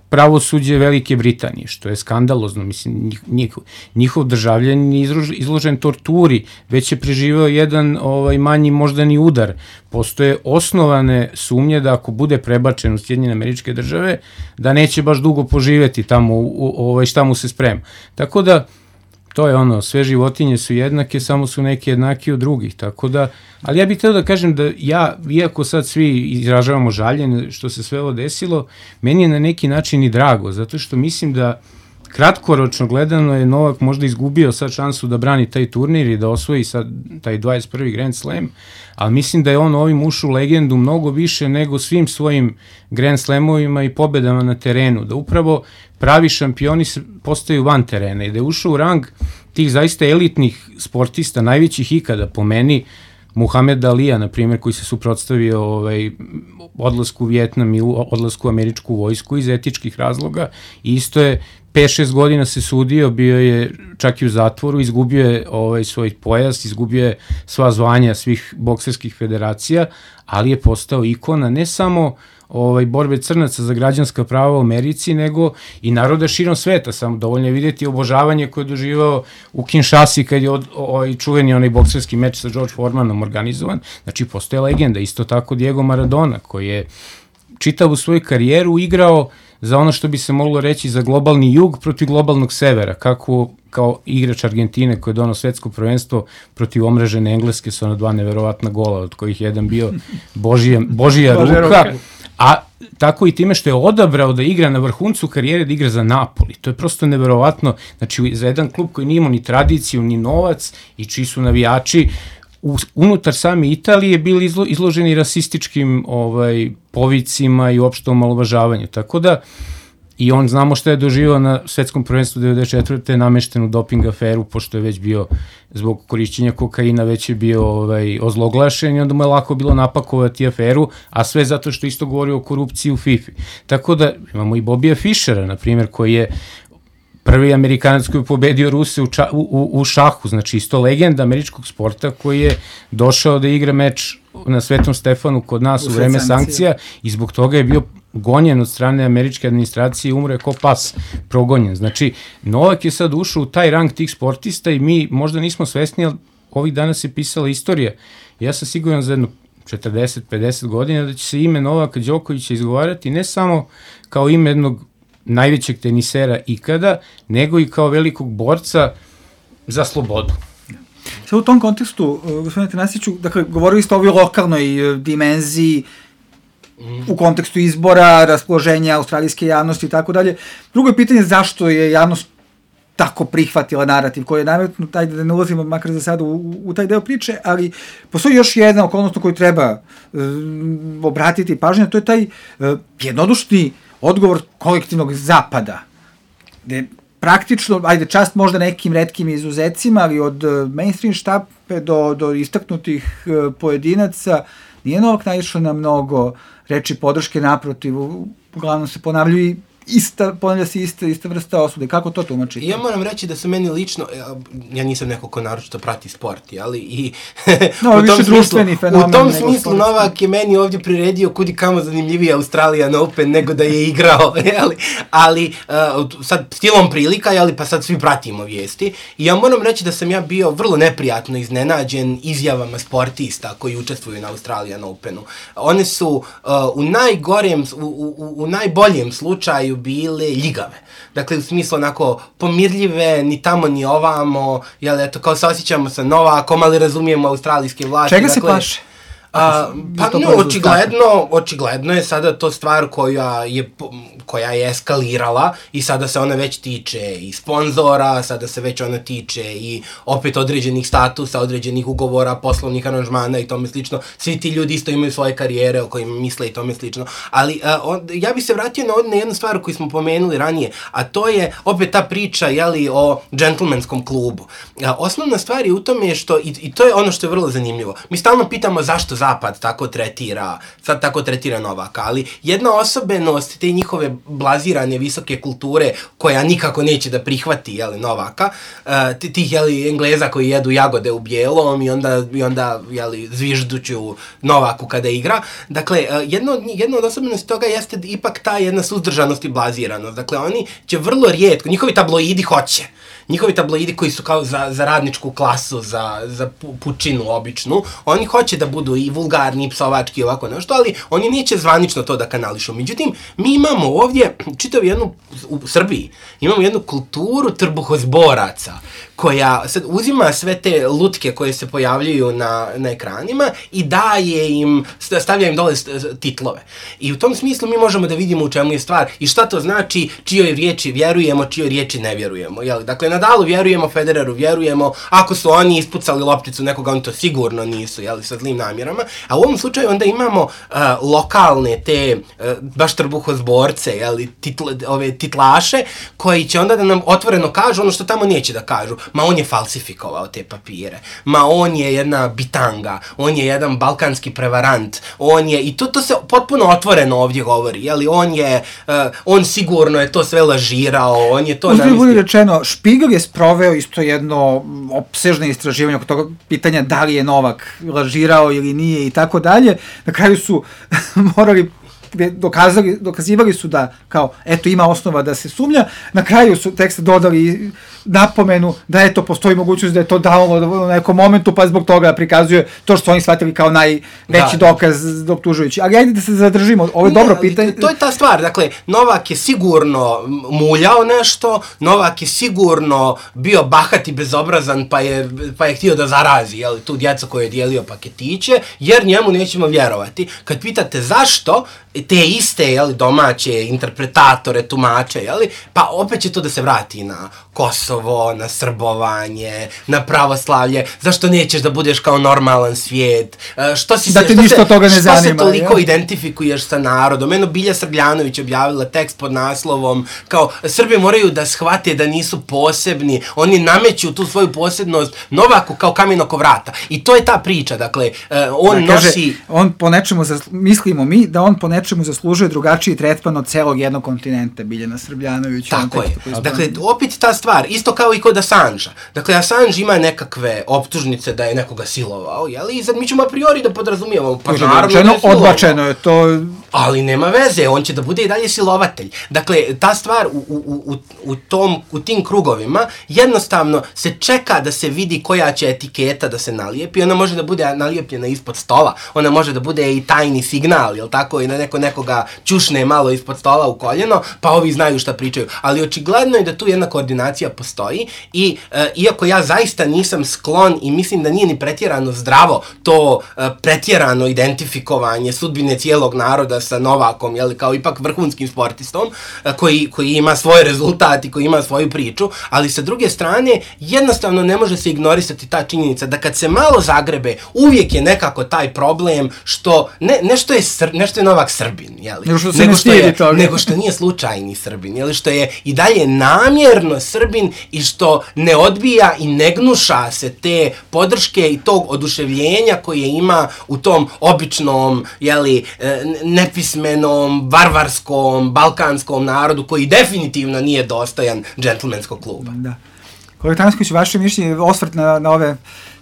pravosuđe Velike Britanije, što je skandalozno. Mislim, njihov, njihov državljan je izložen torturi, već je preživeo jedan ovaj, manji moždani udar. Postoje osnovane sumnje da ako bude prebačen u Sjedinjene Američke Države, da neće baš dugo poživeti tamo, u, u, ovaj, šta mu se sprema. Tako da, to je ono, sve životinje su jednake, samo su neke jednake od drugih, tako da, ali ja bih htio da kažem da ja, iako sad svi izražavamo žaljenje što se sve ovo desilo, meni je na neki način i drago, zato što mislim da kratkoročno gledano je Novak možda izgubio sad šansu da brani taj turnir i da osvoji sad taj dvadeset prvi Grand Slam, ali mislim da je on ovim ušao u legendu mnogo više nego svim svojim Grand Slamovima i pobedama na terenu, da upravo pravi šampioni postaju van terena i da je ušao u rang tih zaista elitnih sportista, najvećih ikada po meni, Muhammed Alija, na primjer, koji se suprotstavio ovaj, odlasku u Vjetnam i odlasku u američku vojsku iz etičkih razloga, i isto je pet šest godina se sudio, bio je čak i u zatvoru, izgubio je ovaj, svoj pojas, izgubio je sva zvanja svih bokserskih federacija, ali je postao ikona ne samo ovaj, borbe crnaca za građanska prava u Americi, nego i naroda širom sveta. Samo dovoljno je vidjeti obožavanje koje je doživao u Kinshasi kad je od, ovaj, čuveni onaj bokserski meč sa George Foremanom organizovan. Znači, postoje legenda. Isto tako Diego Maradona, koji je čitavu svoju karijeru igrao za ono što bi se moglo reći za globalni jug protiv globalnog severa, kako kao igrač Argentine koji je donao svetsko prvenstvo protiv omrežene Engleske sa ona dva neverovatna gola, od kojih jedan bio Božija, Božija ruka, a tako i time što je odabrao da igra na vrhuncu karijere, da igra za Napoli. To je prosto neverovatno, znači za jedan klub koji nije imao ni tradiciju, ni novac i čiji su navijači u, unutar same Italije bili izlo, izloženi rasističkim ovaj, povicima i uopšte omalovažavanju. Tako da, i on znamo šta je doživao na svetskom prvenstvu devedeset četvrte nameštenu doping aferu, pošto je već bio zbog korišćenja kokaina već je bio ovaj, ozloglašen i onda mu je lako bilo napakovati aferu, a sve zato što isto govori o korupciji u FIFA. Tako da imamo i Bobija Fischera, na primjer, koji je prvi Amerikanac koji je pobedio Ruse u, ča, u, u šahu, znači isto legenda američkog sporta koji je došao da igra meč na Svetom Stefanu kod nas u, u vreme sankcija. sankcija i zbog toga je bio gonjen od strane američke administracije i umro je ko pas progonjen. Znači, Novak je sad ušao u taj rang tih sportista i mi možda nismo svesni, ali ovih dana se pisala istorija. Ja sam siguran za jedno četrdeset do pedeset godina da će se ime Novaka Đokovića izgovarati ne samo kao ime jednog najvećeg tenisera ikada, nego i kao velikog borca za slobodu. Sve u tom kontekstu, gospodine Tanasiću, dakle, govorili ste o ovoj lokalnoj dimenziji u kontekstu izbora, raspoloženja australijske javnosti i tako dalje. Drugo je pitanje zašto je javnost tako prihvatila narativ koji je nametnut, taj da ne ulazimo makar za sada u, u taj deo priče, ali postoji još jedna okolnost na koju treba um, obratiti pažnju, to je taj uh, jednodušni odgovor kolektivnog zapada, gde praktično, ajde, čast možda nekim retkim izuzecima, ali od uh, mainstream štape do, do istaknutih uh, pojedinaca, nije Novak naišao na mnogo reči podrške, naprotiv, uglavnom se ponavljaju i ista, ponavlja se ista, ista vrsta osude. Kako to tumačite? Ja moram reći da se meni lično, ja nisam neko ko naročito prati sport, ali i no, u, tom smislu, u tom smislu Novak je meni ovdje priredio kudi kamo zanimljiviji Australian Open nego da je igrao, jeli? Ali uh, sad stilom prilika, jeli, pa sad svi pratimo vijesti i ja moram reći da sam ja bio vrlo neprijatno iznenađen izjavama sportista koji učestvuju na Australian Openu. One su uh, u najgorem, u, u, u najboljem slučaju bile ljigave. Dakle, u smislu onako pomirljive, ni tamo ni ovamo, jel, eto, kao se osjećamo sa Novakom, ali razumijemo australijske vlasti. Čega dakle, se plaše? A, pa no, očigledno, očigledno je sada to stvar koja je, koja je eskalirala i sada se ona već tiče i sponzora, sada se već ona tiče i opet određenih statusa, određenih ugovora, poslovnih aranžmana i tome slično. Svi ti ljudi isto imaju svoje karijere o kojima misle i tome slično. Ali a, on, ja bih se vratio na, na jednu stvar koju smo pomenuli ranije, a to je opet ta priča, jeli, o džentlmenskom klubu. A, osnovna stvar je u tome što, i, i to je ono što je vrlo zanimljivo, mi stalno pitamo zašto Zapad tako tretira, sad tako tretira Novaka, ali jedna osobenost te njihove blazirane visoke kulture koja nikako neće da prihvati, jeli, Novaka, uh, tih, jeli, Engleza koji jedu jagode u bijelom i onda, i onda jeli, zvižduću Novaku kada igra. Dakle, uh, jedno, od, jedno od osobenosti toga jeste ipak ta jedna suzdržanost i blaziranost. Dakle, oni će vrlo rijetko, njihovi tabloidi hoće, njihovi tabloidi koji su kao za, za radničku klasu, za, za pučinu običnu, oni hoće da budu i vulgarni, i psovački i ovako nešto, ali oni neće zvanično to da kanališu. Međutim, mi imamo ovdje, čitav jednu, u Srbiji, imamo jednu kulturu trbuhozboraca, koja sad uzima sve te lutke koje se pojavljaju na, na ekranima i daje im, stavlja im dole titlove. I u tom smislu mi možemo da vidimo u čemu je stvar i šta to znači, čijoj riječi vjerujemo, čijoj riječi ne vjerujemo. Jeli? Dakle, Nadalu vjerujemo, Federeru vjerujemo, ako su oni ispucali lopticu nekoga, oni to sigurno nisu, jeli, sa zlim namjerama. A u ovom slučaju onda imamo uh, lokalne te, uh, baš trbuhozborce, jeli, titl, ove titlaše, koji će onda da nam otvoreno kažu ono što tamo neće da kažu. Ma on je falsifikovao te papire, ma on je jedna bitanga, on je jedan balkanski prevarant, on je, i to, to se potpuno otvoreno ovdje govori, jeli, on je, uh, on sigurno je to sve lažirao, on je to namistio. Uzbog bude rečeno, Špigel je sproveo isto jedno opsežno istraživanje oko toga pitanja da li je Novak lažirao ili nije i tako dalje. Na kraju su morali dokazali, dokazivali su da kao, eto, ima osnova da se sumnja, na kraju su tekst dodali napomenu da eto, postoji mogućnost da je to download u nekom momentu, pa zbog toga prikazuje to što su oni shvatili kao najveći da, dokaz da. optužujući. Ali ajde da se zadržimo, ovo je dobro ne, pitanje. To je ta stvar, dakle, Novak je sigurno muljao nešto, Novak je sigurno bio bahat i bezobrazan, pa je, pa je htio da zarazi, jel, tu djecu koje je dijelio paketiće, jer njemu nećemo vjerovati. Kad pitate zašto, te iste, jeli, domaće interpretatore, tumače, jeli, pa opet će to da se vrati na Kosovo, na srbovanje, na pravoslavlje, zašto nećeš da budeš kao normalan svijet, što si da se, te što ništa se, toga ne što zanima, se toliko ja? identifikuješ sa narodom. Eno, Bilja Srbljanović objavila tekst pod naslovom kao Srbi moraju da shvate da nisu posebni, oni nameću tu svoju posebnost Novaku kao kamen oko vrata. I to je ta priča, dakle, on da, kaže, nosi... On po nečemu, mislimo mi, da on po nečemu nečemu zaslužuje drugačiji tretman od celog jednog kontinenta, Biljana Srbljanović. Tako je. Dakle, opet ta stvar, isto kao i kod Assangea. Dakle, Assange ima nekakve optužnice da je nekoga silovao, jeli? I sad mi ćemo a priori da podrazumijevamo, pa naravno da je silovao. Odbačeno je to. Ali nema veze, on će da bude i dalje silovatelj. Dakle, ta stvar u, u, u, u, tom, u tim krugovima jednostavno se čeka da se vidi koja će etiketa da se nalijepi. Ona može da bude nalijepljena ispod stola, ona može da bude i tajni signal, jel tako, i na neko nekoga čušne malo ispod stola u koljeno, pa ovi znaju šta pričaju. Ali očigledno je da tu jedna koordinacija postoji i e, iako ja zaista nisam sklon i mislim da nije ni pretjerano zdravo to e, pretjerano identifikovanje sudbine cijelog naroda sa Novakom, jel, kao ipak vrhunskim sportistom, e, koji, koji ima svoj rezultat i koji ima svoju priču, ali sa druge strane jednostavno ne može se ignorisati ta činjenica da kad se malo zagrebe, uvijek je nekako taj problem što, ne, nešto, je sr, nešto je Novak Srbin, jel? Nego što, nego, što je, nego što nije slučajni Srbin, jel? Što je i dalje namjerno Srbin i što ne odbija i ne gnuša se te podrške i tog oduševljenja koje ima u tom običnom, jeli, nepismenom, varvarskom, balkanskom narodu koji definitivno nije dostojan džentlmenskog kluba. Da. Kolega Tanasković, vaše mišljenje, osvrt na, na ove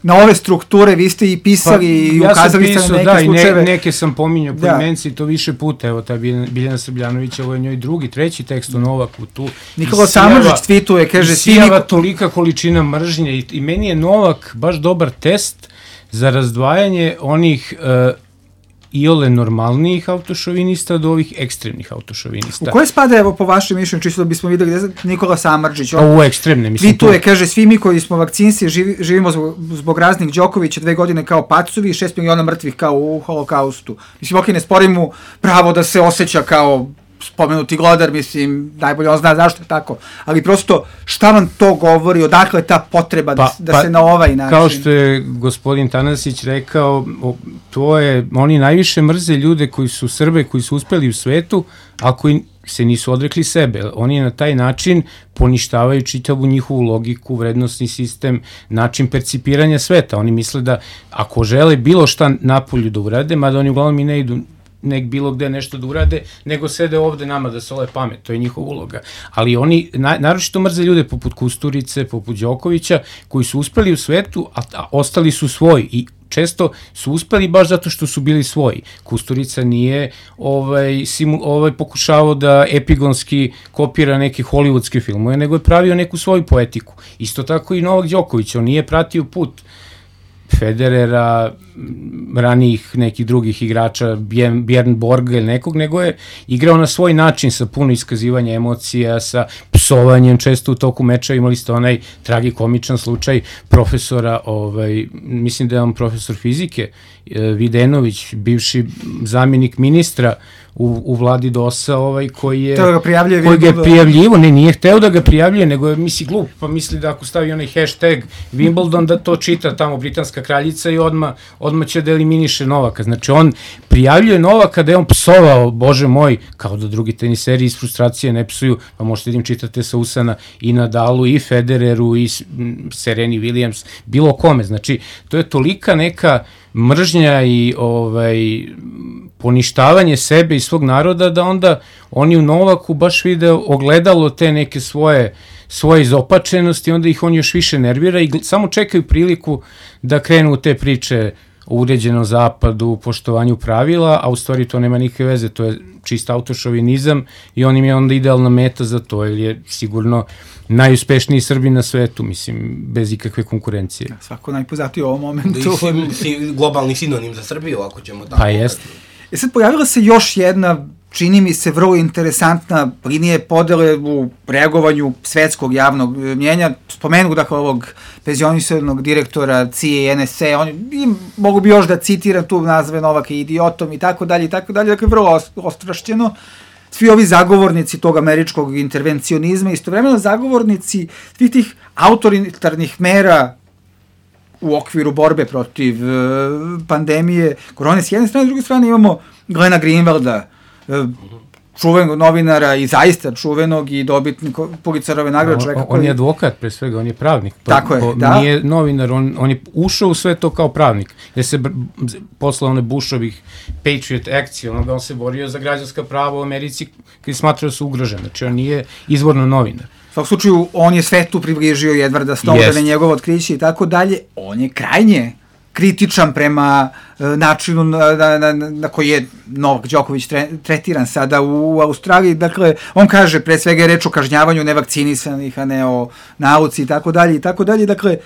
na ove strukture, vi ste i pisali pa, i ja ukazali ste na neke da, slučajeve. Ne, neke sam pominjao po imenci, to više puta, evo ta Biljana Srbljanović, ovo je njoj drugi, treći tekst o Novaku tu. Nikola Samardžić tweetuje, kaže, sijava tolika količina mržnje i, i meni je Novak baš dobar test za razdvajanje onih uh, iole normalnijih autošovinista do ovih ekstremnih autošovinista. U koje spada, evo, po vašem mišljenju, čisto da bismo videli, gde Nikola Samardžić? On, u ekstremne, mislim. Tweetuje, kaže, svi mi koji smo vakcinci živi, živimo zbog, zbog raznih Đokovića dve godine kao pacovi i šest miliona mrtvih kao u holokaustu. Mislim, ok, ne sporim mu pravo da se osjeća kao spomenuti glodar, mislim, najbolje on zna zašto je tako, ali prosto šta vam to govori, odakle ta potreba pa, da, da pa, se na ovaj način... Kao što je gospodin Tanasić rekao, to je, oni najviše mrze ljude koji su Srbe, koji su uspeli u svetu, a koji se nisu odrekli sebe. Oni na taj način poništavaju čitavu njihovu logiku, vrednostni sistem, način percipiranja sveta. Oni misle da ako žele bilo šta napolju da urade, mada oni uglavnom i ne idu nek bilo gde nešto da urade, nego sede ovde nama da sole pamet, to je njihova uloga. Ali oni, na, naročito mrze ljude poput Kusturice, poput Đokovića, koji su uspeli u svetu, a, a ostali su svoji i često su uspeli baš zato što su bili svoji. Kusturica nije ovaj, simu, ovaj pokušavao da epigonski kopira neke hollywoodske filmove, nego je pravio neku svoju poetiku. Isto tako i Novak Đoković, on nije pratio put Federera, ranijih nekih drugih igrača, Björn Borga ili nekog, nego je igrao na svoj način sa puno iskazivanja emocija, sa psovanjem često u toku meča. Imali ste onaj tragikomičan slučaj profesora, ovaj, mislim da je on profesor fizike, Videnović, bivši zamjenik ministra u, u vladi DOS-a, ovaj, koji je, ga prijavljuje, koji ga je prijavljivo, ne, nije hteo da ga prijavljuje, nego je misli glup, pa misli da ako stavi onaj hashtag Wimbledon, da to čita tamo britanska kraljica i odmah, odmah će da eliminiše Novaka. Znači, on prijavljuje Novaka da je on psovao, bože moj, kao da drugi teniseri iz frustracije ne psuju, pa možete da im čitate sa usana i Nadalu, i Federeru, i Sereni Williams, bilo kome. Znači, to je tolika neka mržnja i ovaj poništavanje sebe i svog naroda da onda oni u Novaku baš vide ogledalo te neke svoje svoje izopačenosti, onda ih on još više nervira i samo čekaju priliku da krenu u te priče o uređenom zapadu, poštovanju pravila, a u stvari to nema nikakve veze, to je čist autošovinizam i on im je onda idealna meta za to, jer je sigurno najuspešniji Srbin na svetu, mislim, bez ikakve konkurencije. Svako najpoznatiji u ovom momentu. Da, si, globalni sinonim za Srbiju, ako ćemo tako. Pa jeste. E sad pojavila se još jedna, čini mi se, vrlo interesantna linija podele u reagovanju svetskog javnog mnjenja. Spomenu, dakle, ovog penzionisanog direktora C I A N S A, on, mogu bi još da citiram tu nazve Novaka idiotom i tako dalje i tako dalje, dakle, vrlo ostrašćeno. Svi ovi zagovornici tog američkog intervencionizma, istovremeno zagovornici svih tih autoritarnih mera u okviru borbe protiv uh, pandemije korone s jedne strane, s druge strane imamo Glena Greenwalda, uh, čuvenog novinara i zaista čuvenog i dobitnik Pulitzerove nagrade. On, on, on je advokat pre svega, on je pravnik. Po, Tako je, po, da. Nije novinar, on, on je ušao u sve to kao pravnik. Jer se posle one Bushovih Patriot akcije, onoga on se borio za građanska prava u Americi koji smatrao su ugrožene. Znači on nije izvorno novinar. U svakom slučaju, on je svetu približio Edwarda Snowdena, njegovo otkriće i tako dalje. On je krajnje kritičan prema uh, načinu na, na, na, na koji je Novak Đoković tre, tretiran sada u, u Australiji. Dakle, on kaže, pre svega je reč o kažnjavanju nevakcinisanih, a ne o nauci i tako dalje i tako dalje. Dakle,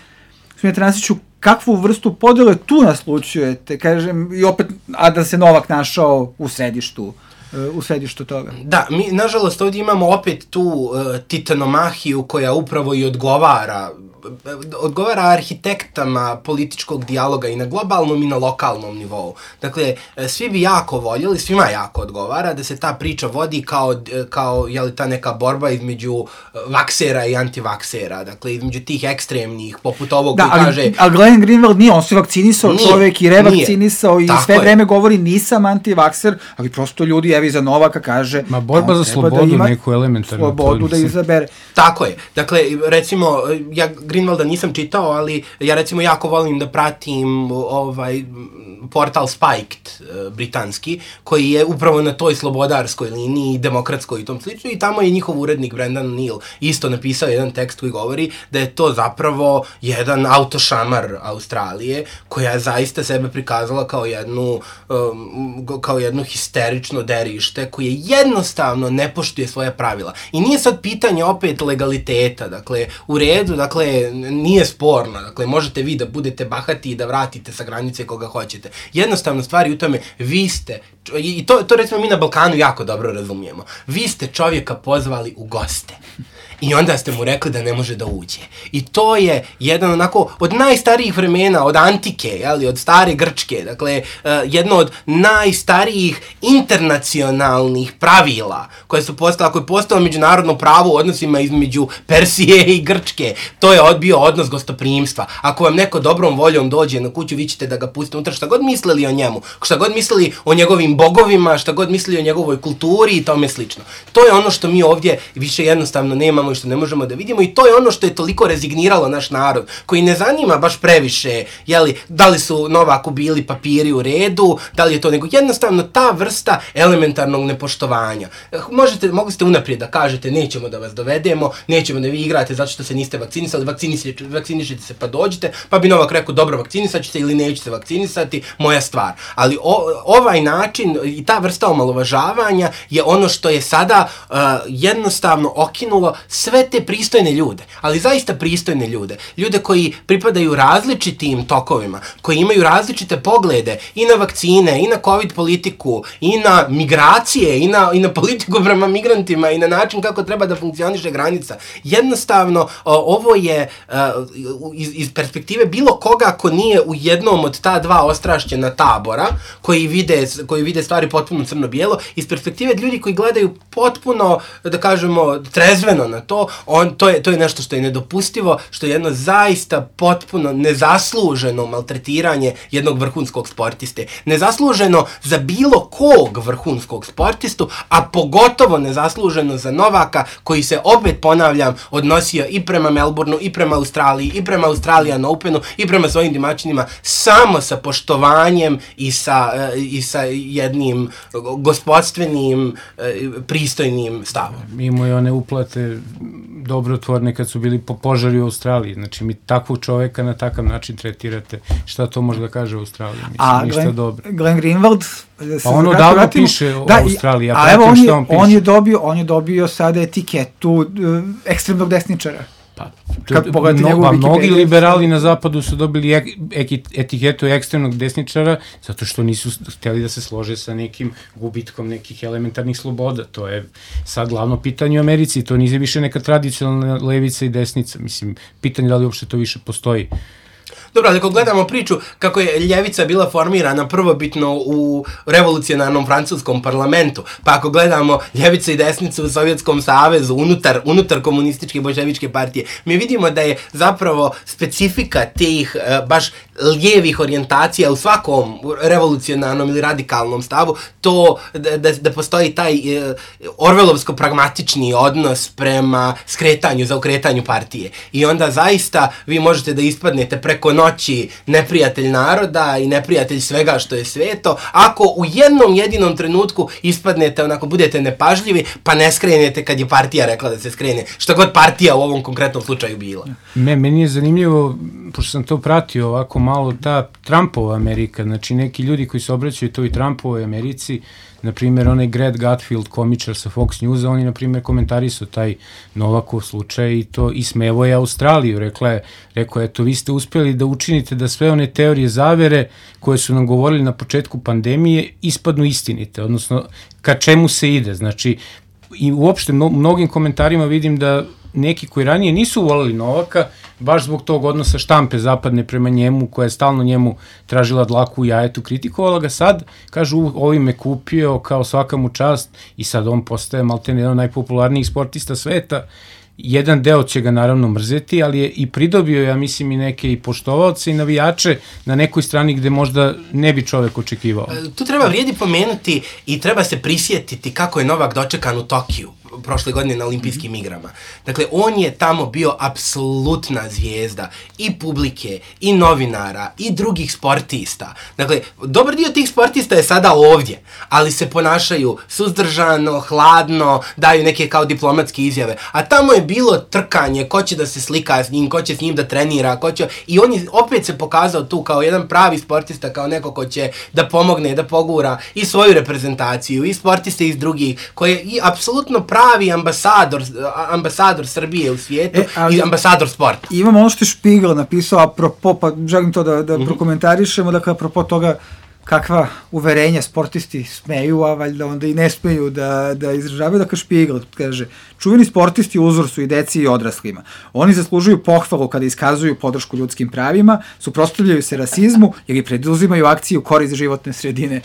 Smilja Nasiću, kakvu vrstu podele tu naslučujete, kažem, i opet, a da se Novak našao u središtu u središtu toga. Da, mi nažalost ovdje imamo opet tu uh, titanomahiju koja upravo i odgovara odgovara arhitektama političkog dijaloga i na globalnom i na lokalnom nivou. Dakle, svi bi jako voljeli, svima jako odgovara da se ta priča vodi kao, kao je li ta neka borba između vaksera i antivaksera, dakle, između tih ekstremnih, poput ovog da, koji ali, kaže... ali Glenn Greenwald nije, on se vakcinisao nije, čovek i revakcinisao nije. I Tako sve je. vreme govori nisam antivakser, ali prosto ljudi, evi za Novaka kaže... Ma borba za slobodu, da neku elementarnu. Slobodu da izabere. Tako je. Dakle, recimo, ja Greenwalda nisam čitao, ali ja recimo jako volim da pratim ovaj portal Spiked, britanski, koji je upravo na toj slobodarskoj liniji, demokratskoj i tom slično, i tamo je njihov urednik Brendan Neal isto napisao jedan tekst koji govori da je to zapravo jedan autošamar Australije, koja je zaista sebe prikazala kao jednu, um, kao jedno histerično derište, koje jednostavno ne poštuje svoje pravila. I nije sad pitanje opet legaliteta, dakle, u redu, dakle, nije sporno, dakle, možete vi da budete bahati i da vratite sa granice koga hoćete. Jednostavno stvari u tome, vi ste, i to, to recimo mi na Balkanu jako dobro razumijemo, vi ste čovjeka pozvali u goste. I onda ste mu rekli da ne može da uđe. I to je jedan onako od najstarijih vremena, od antike, jeli, od stare Grčke, dakle, uh, jedno od najstarijih internacionalnih pravila koje su postala, koje je postalo međunarodno pravo u odnosima između Persije i Grčke. To je odbio odnos gostoprimstva. Ako vam neko dobrom voljom dođe na kuću, vi ćete da ga pustite unutra, šta god mislili o njemu, šta god mislili o njegovim bogovima, šta god mislili o njegovoj kulturi i tome slično. To je ono što mi ovdje više jednostavno nemamo i što ne možemo da vidimo, i to je ono što je toliko rezigniralo naš narod, koji ne zanima baš previše, jeli, da li su Novaku bili papiri u redu, da li je to, nego jednostavno ta vrsta elementarnog nepoštovanja. Možete, mogli ste unaprijed da kažete nećemo da vas dovedemo, nećemo da vi igrate zato što se niste vakcinisali, vakcinisite, vakcinišite se pa dođite, pa bi Novak rekao dobro, vakcinisat ću se ili neću se vakcinisati, moja stvar. Ali o, ovaj način i ta vrsta omalovažavanja je ono što je sada uh, jednostavno okinulo sve te pristojne ljude, ali zaista pristojne ljude, ljude koji pripadaju različitim tokovima, koji imaju različite poglede i na vakcine, i na covid politiku, i na migracije, i na, i na politiku prema migrantima, i na način kako treba da funkcioniše granica. Jednostavno, ovo je iz, iz perspektive bilo koga ko nije u jednom od ta dva ostrašćena tabora, koji vide, koji vide stvari potpuno crno-bijelo, iz perspektive ljudi koji gledaju potpuno, da kažemo, trezveno na to, on, to, je, to je nešto što je nedopustivo, što je jedno zaista potpuno nezasluženo maltretiranje jednog vrhunskog sportiste. Nezasluženo za bilo kog vrhunskog sportistu, a pogotovo nezasluženo za Novaka, koji se, opet ponavljam, odnosio i prema Melbourneu, i prema Australiji, i prema Australian Openu, i prema svojim domaćinima, samo sa poštovanjem i sa, i sa jednim gospodstvenim, pristojnim stavom. Imamo i one uplate dobrotvorne kad su bili po požari u Australiji. Znači, mi takvog čoveka na takav način tretirate. Šta to može da kaže u Australiji? Mislim, a ništa Glenn, dobro. Glenn Greenwald... Pa ono davno vratimo, piše o da, Australiji. Ja a evo, on je, on, on, je dobio, on je dobio sada etiketu uh, ekstremnog desničara. Pa, to, no, pa mnogi liberali na zapadu su dobili ek, ek, etiketu ekstremnog desničara zato što nisu hteli da se slože sa nekim gubitkom nekih elementarnih sloboda. To je sad glavno pitanje u Americi. To nije više neka tradicionalna levica i desnica. Mislim, pitanje da li uopšte to više postoji. Dobro, ali ako gledamo priču kako je ljevica bila formirana prvobitno u revolucionarnom francuskom parlamentu, pa ako gledamo ljevica i desnicu u Sovjetskom savezu, unutar, unutar komunističke i bolševičke partije, mi vidimo da je zapravo specifika tih, baš lijevih orijentacija u svakom revolucionarnom ili radikalnom stavu, to da, da, da postoji taj e, orvelovsko-pragmatični odnos prema skretanju, zaokretanju partije. I onda zaista vi možete da ispadnete preko noći neprijatelj naroda i neprijatelj svega što je sveto, ako u jednom jedinom trenutku ispadnete, onako budete nepažljivi, pa ne skrenete kad je partija rekla da se skrene, što god partija u ovom konkretnom slučaju bila. Me, meni je zanimljivo, pošto sam to pratio ovako malo, ta Trumpova Amerika, znači neki ljudi koji se obraćaju toj Trumpovoj Americi, na primjer onaj Greg Gutfield, komičar sa Fox Newsa, on je na primjer komentarisao taj Novakov slučaj i to ismevo je Australiju, rekla je, rekao je, eto, vi ste uspjeli da učinite da sve one teorije zavere koje su nam govorili na početku pandemije ispadnu istinite, odnosno ka čemu se ide, znači i uopšte u mnogim komentarima vidim da neki koji ranije nisu voleli Novaka, baš zbog tog odnosa štampe zapadne prema njemu, koja je stalno njemu tražila dlaku u jajetu, kritikovala ga, sad, kažu, ovim me kupio, kao svaka mu čast, i sad on postaje maltene jedan od najpopularnijih sportista sveta. Jedan deo će ga naravno mrzeti, ali je i pridobio, ja mislim, i neke i poštovaoce i navijače na nekoj strani gde možda ne bi čovek očekivao. Tu treba vrijedi pomenuti i treba se prisjetiti kako je Novak dočekan u Tokiju prošle godine na olimpijskim igrama. Dakle, on je tamo bio apsolutna zvijezda i publike, i novinara, i drugih sportista. Dakle, dobar dio tih sportista je sada ovdje, ali se ponašaju suzdržano, hladno, daju neke kao diplomatske izjave. A tamo je bilo trkanje, ko će da se slika s njim, ko će s njim da trenira, ko će... I on je opet se pokazao tu kao jedan pravi sportista, kao neko ko će da pomogne, da pogura i svoju reprezentaciju, i sportiste iz drugih, koji je i apsolutno pravi ambasador, ambasador Srbije u svijetu, e, ali, i ambasador sporta. Imamo ono što je Špigl napisao, apropo, pa želim to da, da mm-hmm. prokomentarišemo, dakle, apropo toga kakva uverenja sportisti smeju, a valjda onda i ne smeju da, da izražavaju, dakle Špigl kaže, čuveni sportisti uzor su i deci i odraslima. Oni zaslužuju pohvalu kada iskazuju podršku ljudskim pravima, suprotstavljaju se rasizmu ili preduzimaju akciju u korist životne sredine.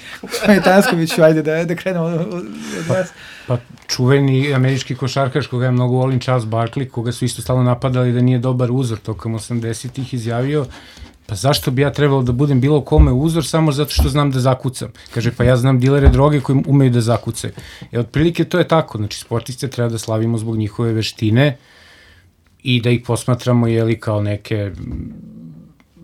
Tanskoviću, ajde da, da krenemo od vas. Pa, pa čuveni američki košarkaš koga ja mnogo volim, Charles Barkley, koga su isto stalno napadali da nije dobar uzor tokom osamdesetih, izjavio, pa zašto bi ja trebalo da budem bilo kome uzor samo zato što znam da zakucam? Kaže, pa ja znam dilere droge koji umeju da zakucaju. E, otprilike to je tako, znači sportiste treba da slavimo zbog njihove veštine i da ih posmatramo, jeli, kao neke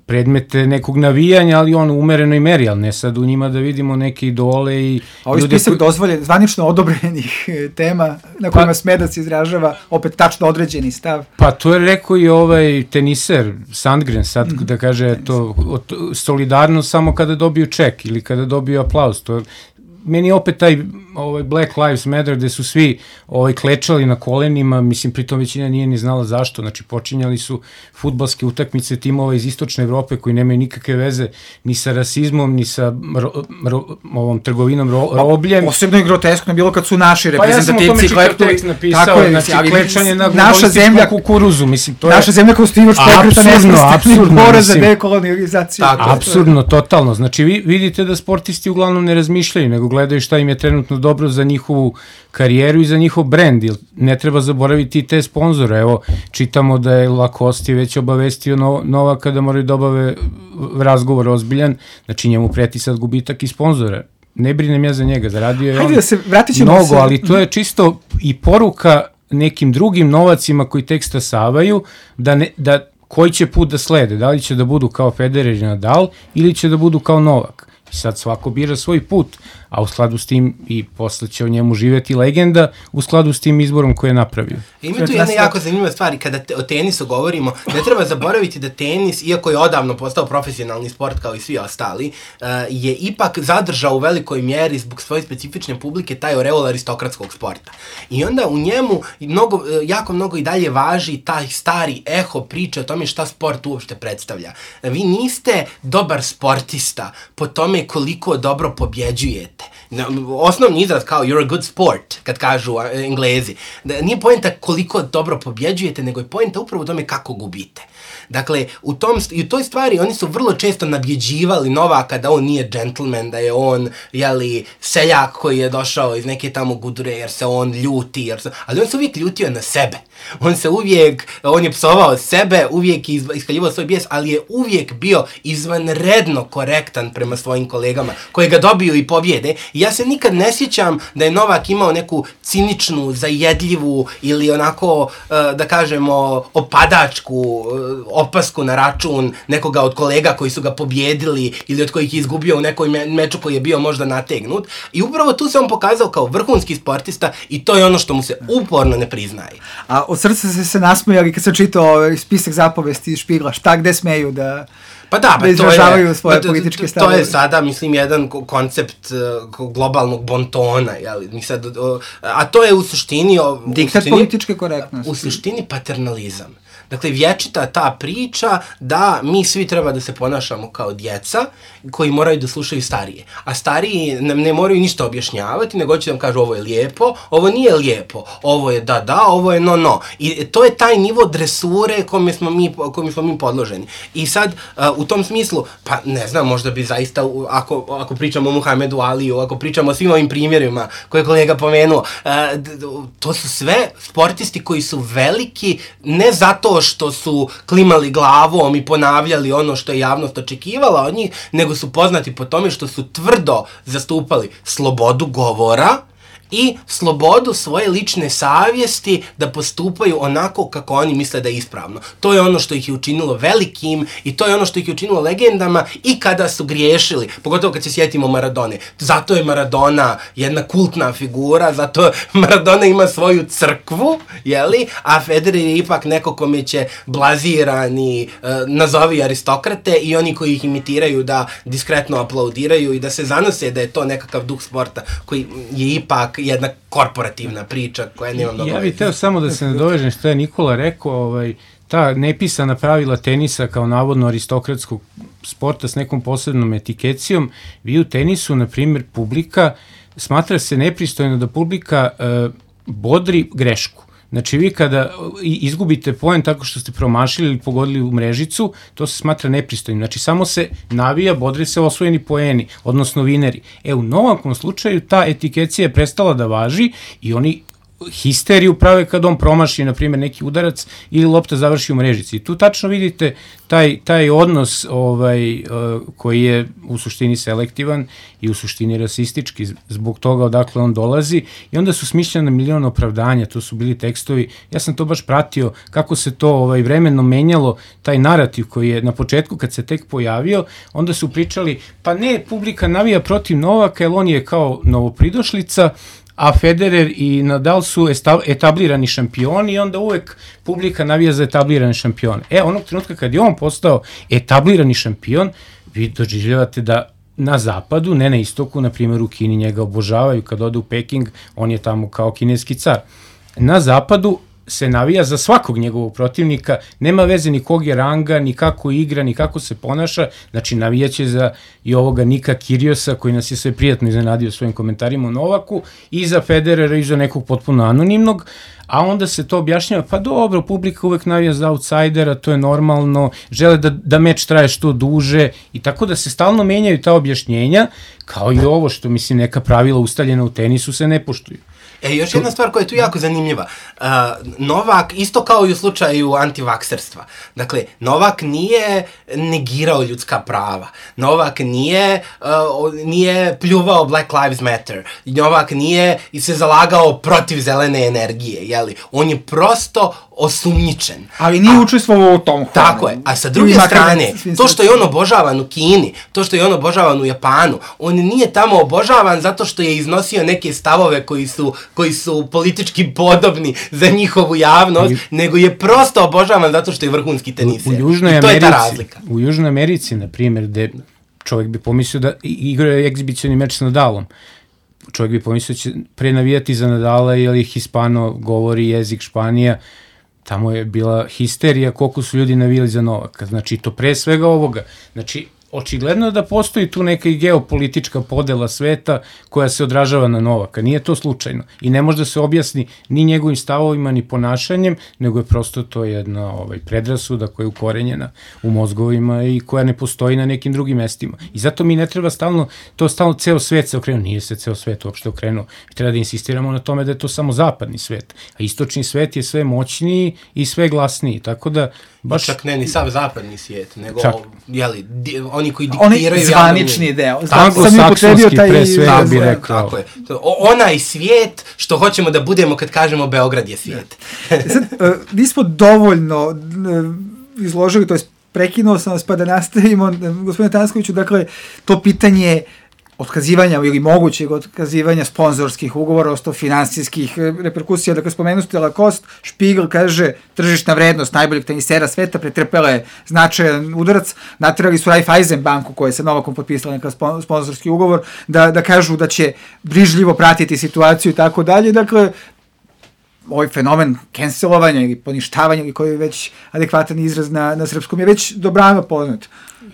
predmete nekog navijanja, ali on u umerenoj meri, ali ne sad u njima da vidimo neke idole i... A ovaj spisak koji... dozvoljen, zvanično odobrenih tema na kojima pa, sme da se izražava opet tačno određeni stav. Pa to je rekao i ovaj teniser Sandgren sad, mm-hmm. da kaže to, solidarno samo kada dobiju ček ili kada dobiju aplauz, to meni opet taj ovaj Black Lives Matter gde su svi ovaj klečali na kolenima, mislim pritom većina nije ni znala zašto, znači počinjali su fudbalske utakmice timova iz istočne Evrope koji nemaju nikakve veze ni sa rasizmom, ni sa ro, ro, ovom trgovinom ro, robljem. Posebno je groteskno bilo kad su naši reprezentativci pa ja kleptovi, napisao, je, znači klečanje na naša zemlja kukuruzu, mislim to je naša zemlja kao stivač pokreta nesvrstanih bora za dekolonizaciju. Apsurdno, totalno, znači vi vidite da sportisti uglavnom ne razmišljaju, nego gledaju šta im je trenutno dobro za njihovu karijeru i za njihov brend, jer ne treba zaboraviti te sponzore. Evo, čitamo da je Lacoste već obavestio no, Novaka da moraju da obave razgovor ozbiljan, znači njemu preti sad gubitak i sponzora. Ne brinem ja za njega, zaradio je on da se, mnogo, se... ali to je čisto i poruka nekim drugim novacima koji tek stasavaju, da, ne, da koji će put da slede, da li će da budu kao Federer i Nadal ili će da budu kao Novak. I sad svako bira svoj put, a u skladu s tim i posle će o njemu živeti legenda u skladu s tim izborom koji je napravio. Ima tu jedna jako zanimljiva stvar, kada te, o tenisu govorimo, ne treba zaboraviti da tenis, iako je odavno postao profesionalni sport kao i svi ostali, uh, je ipak zadržao u velikoj mjeri zbog svoje specifične publike taj oreol aristokratskog sporta. I onda u njemu mnogo, jako mnogo i dalje važi taj stari eho priče o tome šta sport uopšte predstavlja. Vi niste dobar sportista po tome koliko dobro pobjeđujete. Osnovni izraz kao you're a good sport, kad kažu Englezi. Nije poenta koliko dobro pobjeđujete, nego je poenta upravo u tome kako gubite. Dakle, u, tom, i u toj stvari oni su vrlo često nabjeđivali Novaka da on nije džentlmen, da je on, jeli, seljak koji je došao iz neke tamo gudure jer se on ljuti, jer se, ali on se uvijek ljutio na sebe. On se uvijek, on je psovao sebe, uvijek je iskaljivao svoj bijes, ali je uvijek bio izvanredno korektan prema svojim kolegama, koji ga dobiju i pobjede. I ja se nikad ne sjećam da je Novak imao neku ciničnu, zajedljivu ili onako, da kažemo, opadačku opasku na račun nekoga od kolega koji su ga pobjedili ili od kojih je izgubio u nekoj meču koji je bio možda nategnut. I upravo tu se on pokazao kao vrhunski sportista i to je ono što mu se uporno ne priznaje. A od srca se se nasmijali kad sam čitao spisak zapovesti iz Špigla, šta gde smeju da... Pa da, da izražavaju to je, svoje pa, političke to, stavove. To je sada, mislim, jedan koncept uh, globalnog bontona, jeli? Mi sad, uh, a to je u suštini... Diktat političke korektnosti. U suštini paternalizam. Dakle, vječita ta priča da mi svi treba da se ponašamo kao djeca koji moraju da slušaju starije. A stariji nam ne moraju ništa objašnjavati, nego će nam kažu ovo je lijepo, ovo nije lijepo, ovo je da, da, ovo je no, no. I to je taj nivo dresure kome smo mi, kome smo mi podloženi. I sad, uh, u tom smislu, pa ne znam, možda bi zaista, ako, ako pričamo o Muhamedu Aliju, ako pričamo o svim ovim primjerima koje je kolega pomenuo, uh, to su sve sportisti koji su veliki, ne zato što su klimali glavom i ponavljali ono što je javnost očekivala od njih, nego su poznati po tome što su tvrdo zastupali slobodu govora i slobodu svoje lične savjesti da postupaju onako kako oni misle da je ispravno. To je ono što ih je učinilo velikim i to je ono što ih je učinilo legendama i kada su griješili, pogotovo kad se sjetimo Maradone. Zato je Maradona jedna kultna figura, zato Maradona ima svoju crkvu, jeli? A Federer je ipak neko kome će blazirani, uh, nazovi aristokrate i oni koji ih imitiraju da diskretno aplaudiraju i da se zanose da je to nekakav duh sporta koji je ipak jedna korporativna priča koja nema mnogo. Ja bih teo samo da se nadovežem što je Nikola rekao, ovaj, ta nepisana pravila tenisa kao navodno aristokratskog sporta s nekom posebnom etikecijom, vi u tenisu, na primjer, publika, smatra se nepristojno da publika e, bodri grešku. Znači vi kada izgubite poen tako što ste promašili ili pogodili u mrežicu, to se smatra nepristojnim. Znači samo se navija, bodre se osvojeni poeni, odnosno vineri. E u Novakom slučaju ta etikecija je prestala da važi i oni histeriju prave kad on promaši, na primjer, neki udarac ili lopta završi u mrežici. I tu tačno vidite taj, taj odnos ovaj, uh, koji je u suštini selektivan i u suštini rasistički zbog toga odakle on dolazi i onda su smišljene milion opravdanja, to su bili tekstovi, ja sam to baš pratio kako se to ovaj, vremeno menjalo, taj narativ koji je na početku kad se tek pojavio, onda su pričali, pa ne, publika navija protiv Novaka jer on je kao novopridošlica, a Federer i Nadal su etablirani šampioni i onda uvek publika navija za etablirane šampione. E, onog trenutka kad je on postao etablirani šampion, vi doživljavate da na zapadu, ne na istoku, na primjer u Kini njega obožavaju, kad ode u Peking, on je tamo kao kineski car. Na zapadu se navija za svakog njegovog protivnika, nema veze ni kog je ranga, ni kako igra, ni kako se ponaša, znači navijaće za i ovoga Nika Kyrgiosa koji nas je sve prijatno iznenadio svojim komentarima o Novaku i za Federera i za nekog potpuno anonimnog, a onda se to objašnjava, pa dobro, publika uvek navija za outsidera, to je normalno, žele da, da meč traje što duže i tako da se stalno menjaju ta objašnjenja, kao i ovo što, mislim, neka pravila ustaljena u tenisu se ne poštuju. E, još jedna stvar koja je tu jako zanimljiva. Uh, Novak, isto kao i u slučaju antivakserstva, dakle, Novak nije negirao ljudska prava. Novak nije, uh, nije pljuvao Black Lives Matter. Novak nije se zalagao protiv zelene energije, jeli? On je prosto osumnjičen. Ali nije učestvovao u tom. Tako je. A sa druge strane, to što je on obožavan u Kini, to što je on obožavan u Japanu, on nije tamo obožavan zato što je iznosio neke stavove koji su, koji su politički podobni za njihovu javnost, I, nego je prosto obožavan zato što je vrhunski teniser. U, u Južnoj I to Americi, je ta razlika. U Južnoj Americi, na primjer, gde čovjek bi pomislio da igra egzibicioni meč s Nadalom, čovjek bi pomislio da će pre navijati za Nadala jer ih Hispano govori jezik Španija, tamo je bila histerija koliko su ljudi navijali za Novaka. Znači, to pre svega ovoga. Znači, očigledno da postoji tu neka i geopolitička podela sveta koja se odražava na Novaka. Nije to slučajno. I ne može da se objasni ni njegovim stavovima, ni ponašanjem, nego je prosto to jedna ovaj, predrasuda koja je ukorenjena u mozgovima i koja ne postoji na nekim drugim mestima. I zato mi ne treba stalno, to stalno ceo svet se okrenuo. Nije se ceo svet uopšte okrenuo. Treba da insistiramo na tome da je to samo zapadni svet. A istočni svet je sve moćniji i sve glasniji. Tako da baš... Čak ne ni sav zapadni svijet, nego Čak. jeli, di, oni koji diktiraju... Oni zvanični deo. Anglosaksonski pre svega bi rekao. Tako je. O, onaj svijet što hoćemo da budemo kad kažemo Beograd je svijet. Sad, uh, mi smo dovoljno uh, izložili, to je prekinuo sam vas pa da nastavimo, uh, gospodine Tanskoviću, dakle, to pitanje otkazivanja ili mogućeg otkazivanja sponzorskih ugovora, osto finansijskih reperkusija. Dakle, spomenuo ste Lacoste, Spiegel kaže tržišna vrednost najboljeg tenisera sveta pretrpela je značajan udarac, naterali su Raiffeisen banku koja je sa Novakom potpisala neka sponzorski ugovor, da, da kažu da će brižljivo pratiti situaciju i tako dalje. Dakle, ovaj fenomen cancelovanja ili poništavanja ili koji je već adekvatan izraz na, na srpskom je već dobrano poznat.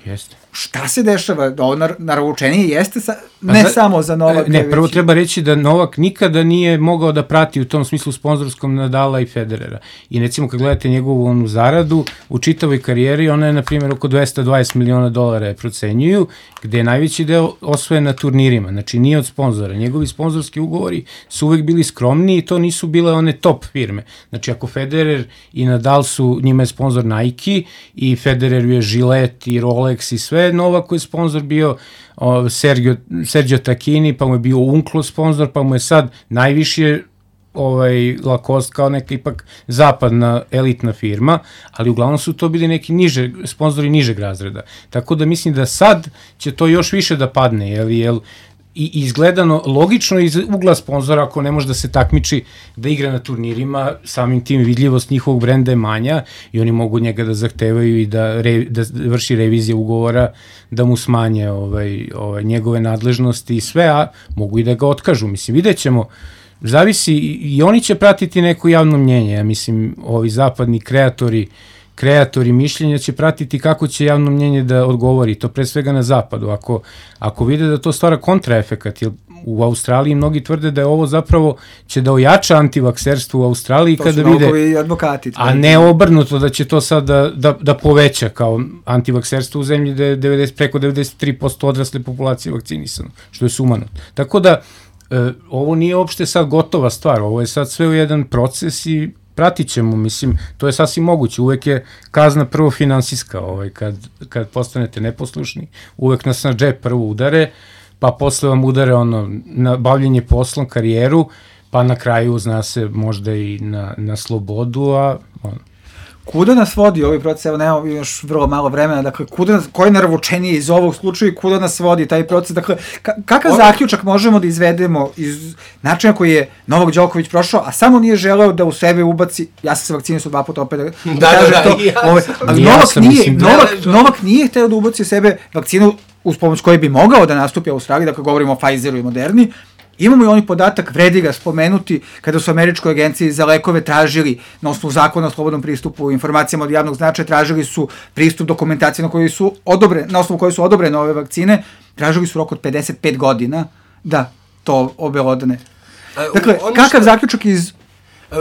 Jeste. Šta se dešava? Ovo naručenije jeste sa, ne za, samo za Novaka. Ne, prvo već... treba reći da Novak nikada nije mogao da prati u tom smislu sponzorskom Nadala i Federera. I recimo kad gledate njegovu onu zaradu, u čitavoj karijeri ona je na primjer oko dvesta dvadeset miliona dolara je procenjuju, gde je najveći deo osvojen na turnirima, znači nije od sponzora. Njegovi sponzorski ugovori su uvek bili skromniji i to nisu bile one top firme. Znači ako Federer i Nadal su, njima je sponzor Nike i Federeru je Gillette i Rolex i sve, Novak koji je sponsor bio o, Sergio, Sergio Tacchini, pa mu je bio Unklo sponsor, pa mu je sad najviše ovaj, Lacoste kao neka ipak zapadna elitna firma, ali uglavnom su to bili neki niže, sponzori nižeg razreda. Tako da mislim da sad će to još više da padne, jel, jel, i izgledano logično iz ugla sponzora, ako ne može da se takmiči da igra na turnirima, samim tim vidljivost njihovog brenda je manja i oni mogu njega da zahtevaju i da, re, da vrši revizije ugovora, da mu smanje ovaj, ovaj, njegove nadležnosti i sve, a mogu i da ga otkažu. Mislim, vidjet ćemo, zavisi, i oni će pratiti neko javno mnjenje, ja mislim, ovi zapadni kreatori kreatori mišljenja će pratiti kako će javno mnjenje da odgovori, to pre svega na zapadu. Ako, ako vide da to stvara kontraefekat, jer u Australiji mnogi tvrde da je ovo zapravo će da ojača antivakserstvo u Australiji, to kada vide, advokati, a ne obrnuto da će to sad da, da, da poveća kao antivakserstvo u zemlji da je devedeset, preko devedeset tri posto odrasle populacije vakcinisano, što je sumanut. Tako da, e, ovo nije uopšte sad gotova stvar, ovo je sad sve u jedan proces i pratit ćemo, mislim, to je sasvim moguće, uvek je kazna prvo finansijska, ovaj, kad, kad postanete neposlušni, uvek nas na džep prvo udare, pa posle vam udare ono, na bavljenje poslom, karijeru, pa na kraju zna se možda i na, na slobodu, a ono. Kuda nas vodi ovaj proces, evo nemamo još vrlo malo vremena, dakle, kuda nas, koje naravoučenije iz ovog slučaja, kuda nas vodi taj proces, dakle, ka, kakav Ovo... zaključak možemo da izvedemo iz načina koji je Novak Đoković prošao, a samo nije želeo da u sebe ubaci, ja sam se vakcinisao dva puta opet da, da, da kažem da, to, ja ovaj, ali ja Novak, nije, mislim, Novak, da, Novak nije hteo da ubaci u sebe vakcinu uz pomoć koje bi mogao da nastupi u Australiji, dakle, govorimo o Pfizeru i Moderni. Imamo i oni podatak, vredi ga spomenuti, kada su Američkoj agenciji za lekove tražili, na osnovu zakona o slobodnom pristupu informacijama od javnog značaja, tražili su pristup dokumentacije na, koji su odobre, na osnovu koje su odobrene ove vakcine, tražili su rok od pedeset pet godina da to obelodane. Dakle, ono kakav što... zaključak iz...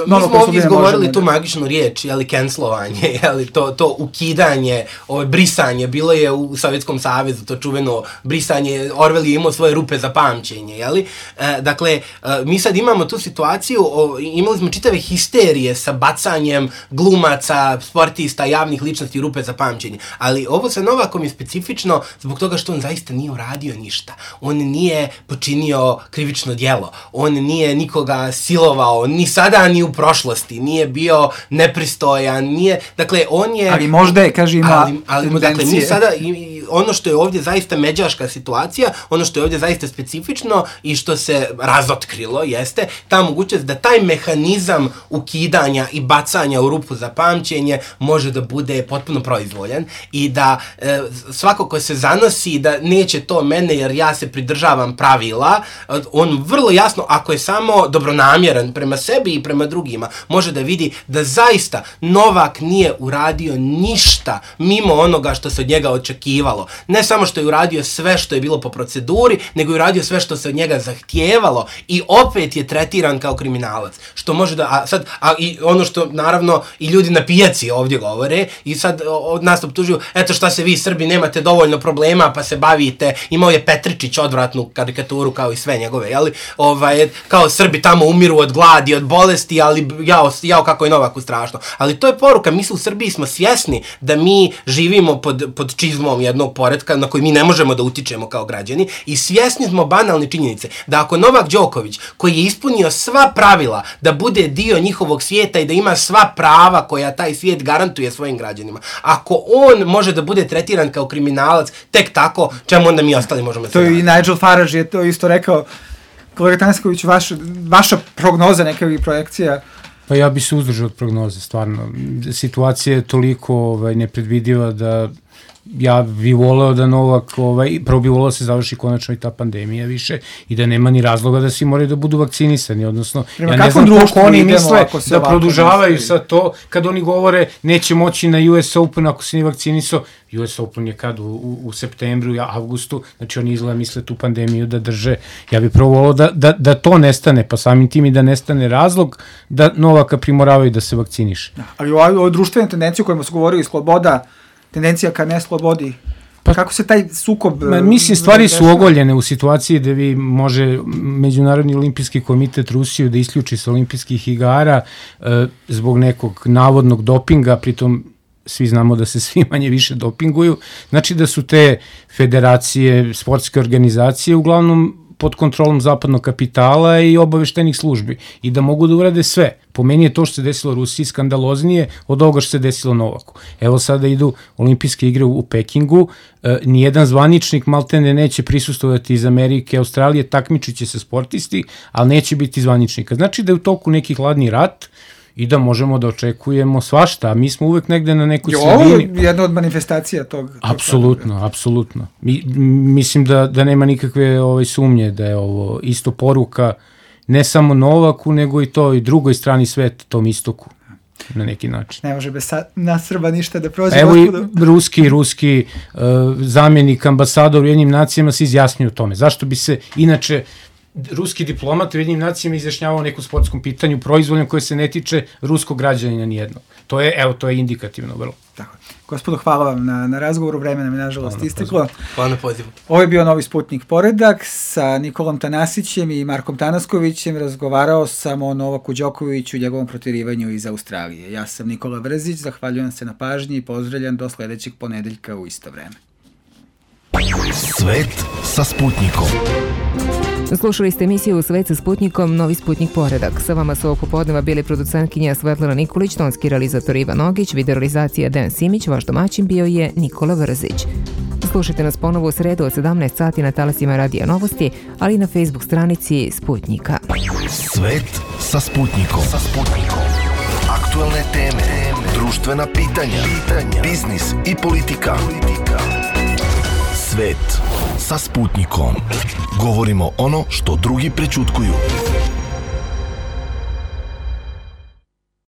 Mi smo ovdje izgovorili tu magičnu riječ, jeli, cancelovanje, jeli, to, to ukidanje, ovo, brisanje, bilo je u Sovjetskom savezu, to čuveno brisanje, Orwell je imao svoje rupe za pamćenje, jeli. E, dakle, e, mi sad imamo tu situaciju, o, imali smo čitave histerije sa bacanjem glumaca, sportista, javnih ličnosti rupe za pamćenje, ali ovo sa Novakom je specifično zbog toga što on zaista nije uradio ništa. On nije počinio krivično djelo, on nije nikoga silovao, ni sada, ni u prošlosti, nije bio nepristojan, nije, dakle, on je... Ali možda je, kaže, ima ali, ali, dakle, mi sada, i, ono što je ovdje zaista međaška situacija, ono što je ovdje zaista specifično i što se razotkrilo, jeste ta mogućnost da taj mehanizam ukidanja i bacanja u rupu za pamćenje može da bude potpuno proizvoljan i da e, svako ko se zanosi da neće to mene jer ja se pridržavam pravila, on vrlo jasno, ako je samo dobronamjeran prema sebi i prema drugima, može da vidi da zaista Novak nije uradio ništa mimo onoga što se od njega očekivalo. zahtijevalo. Ne samo što je uradio sve što je bilo po proceduri, nego je uradio sve što se od njega zahtijevalo i opet je tretiran kao kriminalac. Što može da, a sad, a i ono što naravno i ljudi na pijaci ovdje govore i sad od nas optužuju, eto šta se vi Srbi nemate dovoljno problema pa se bavite, imao je Petričić odvratnu karikaturu kao i sve njegove, jeli, ovaj, kao Srbi tamo umiru od gladi, od bolesti, ali jao, jao kako je Novaku strašno. Ali to je poruka, mi u Srbiji smo svjesni da mi živimo pod, pod čizmom jednog poretka na koji mi ne možemo da utičemo kao građani i svjesni smo banalne činjenice da ako Novak Đoković, koji je ispunio sva pravila da bude dio njihovog svijeta i da ima sva prava koja taj svijet garantuje svojim građanima, ako on može da bude tretiran kao kriminalac tek tako, čemu onda mi ostali možemo se to i Nigel Farage je to isto rekao. Kolega Tanasković, vaš, vaša prognoza nekakvih projekcija? Pa ja bi se uzdržao od prognoze, stvarno. Situacija je toliko ovaj, nepredvidiva da ja bih voleo da Novak, ovaj, prvo bih voleo da se završi konačno i ta pandemija više i da nema ni razloga da svi moraju da budu vakcinisani, odnosno Prema ja ne znam kako oni misle da produžavaju sa to kad oni govore neće moći na U S Open ako se nije vakcinisao. U S Open je kad? U, u, u septembru, avgustu, znači oni izgleda misle tu pandemiju da drže. Ja bih prvo voleo da, da, da to nestane, pa samim tim i da nestane razlog da Novaka primoravaju da se vakciniše. Da, ali o, o društvenim tendencijama o kojima su govorili, sloboda, tendencija ka neslobodi, pa kako se taj sukob... Ma, mislim, stvari su ogoljene u situaciji da vi može Međunarodni olimpijski komitet Rusiju da isključi sa olimpijskih igara e, zbog nekog navodnog dopinga, pritom svi znamo da se svi manje više dopinguju. Znači da su te federacije, sportske organizacije uglavnom pod kontrolom zapadnog kapitala i obaveštenih službi i da mogu da urade sve. Po meni je to što se desilo Rusiji skandaloznije od ovoga što se desilo Novaku. Evo sada idu olimpijske igre u, u Pekingu, e, nijedan zvaničnik maltene neće prisustovati iz Amerike, Australije, takmičit će se sportisti, ali neće biti zvaničnika. Znači da je u toku neki hladni rat i da možemo da očekujemo svašta, a mi smo uvek negde na nekoj sredini. Je ovo jedna od manifestacija tog? Apsolutno, apsolutno. Mi, mislim da, da nema nikakve ovaj, sumnje da je ovo isto poruka ne samo Novaku, nego i to i drugoj strani sveta, tom istoku, na neki način. Ne može bez na Srba ništa da prođe. Evo i ruski, ruski uh, zamjenik ambasador u jednim nacijama se izjasnio o tome. Zašto bi se inače ruski diplomat u jednim nacijama izjašnjavao o nekom sportskom pitanju proizvoljno koje se ne tiče ruskog građanina nijednog. To je, evo, to je indikativno vrlo. Tako. Gospodo, hvala vam na, na razgovoru, vreme nam je nažalost isteklo. Hvala na pozivu. Ovo je bio Novi Sputnik Poredak, sa Nikolom Tanasićem i Markom Tanaskovićem razgovarao sam o Novaku Đokoviću i njegovom protjerivanju iz Australije. Ja sam Nikola Vrzić, zahvaljujem se na pažnji i pozdravljam do sledećeg ponedeljka u isto vreme. Svet sa Sputnikom. Slušali ste emisiju Svet sa Sputnikom, Novi Sputnik Poredak. Sa vama su ovog popodneva bili producentkinja Svetlana Nikolić, tonski realizator Ivan Ogić, videorealizacija Dejan Simić, vaš domaćin bio je Nikola Vrzić. Slušajte nas ponovo u sredu od sedamnaest sati na talasima Radija Novosti, ali i na Facebook stranici Sputnika. Svet sa Sputnikom. Sa Sputnikom. Aktualne teme, društvena pitanja, pitanja, biznis i politika. politika. Svet sa Sputnikom. Govorimo ono što drugi prećutkuju.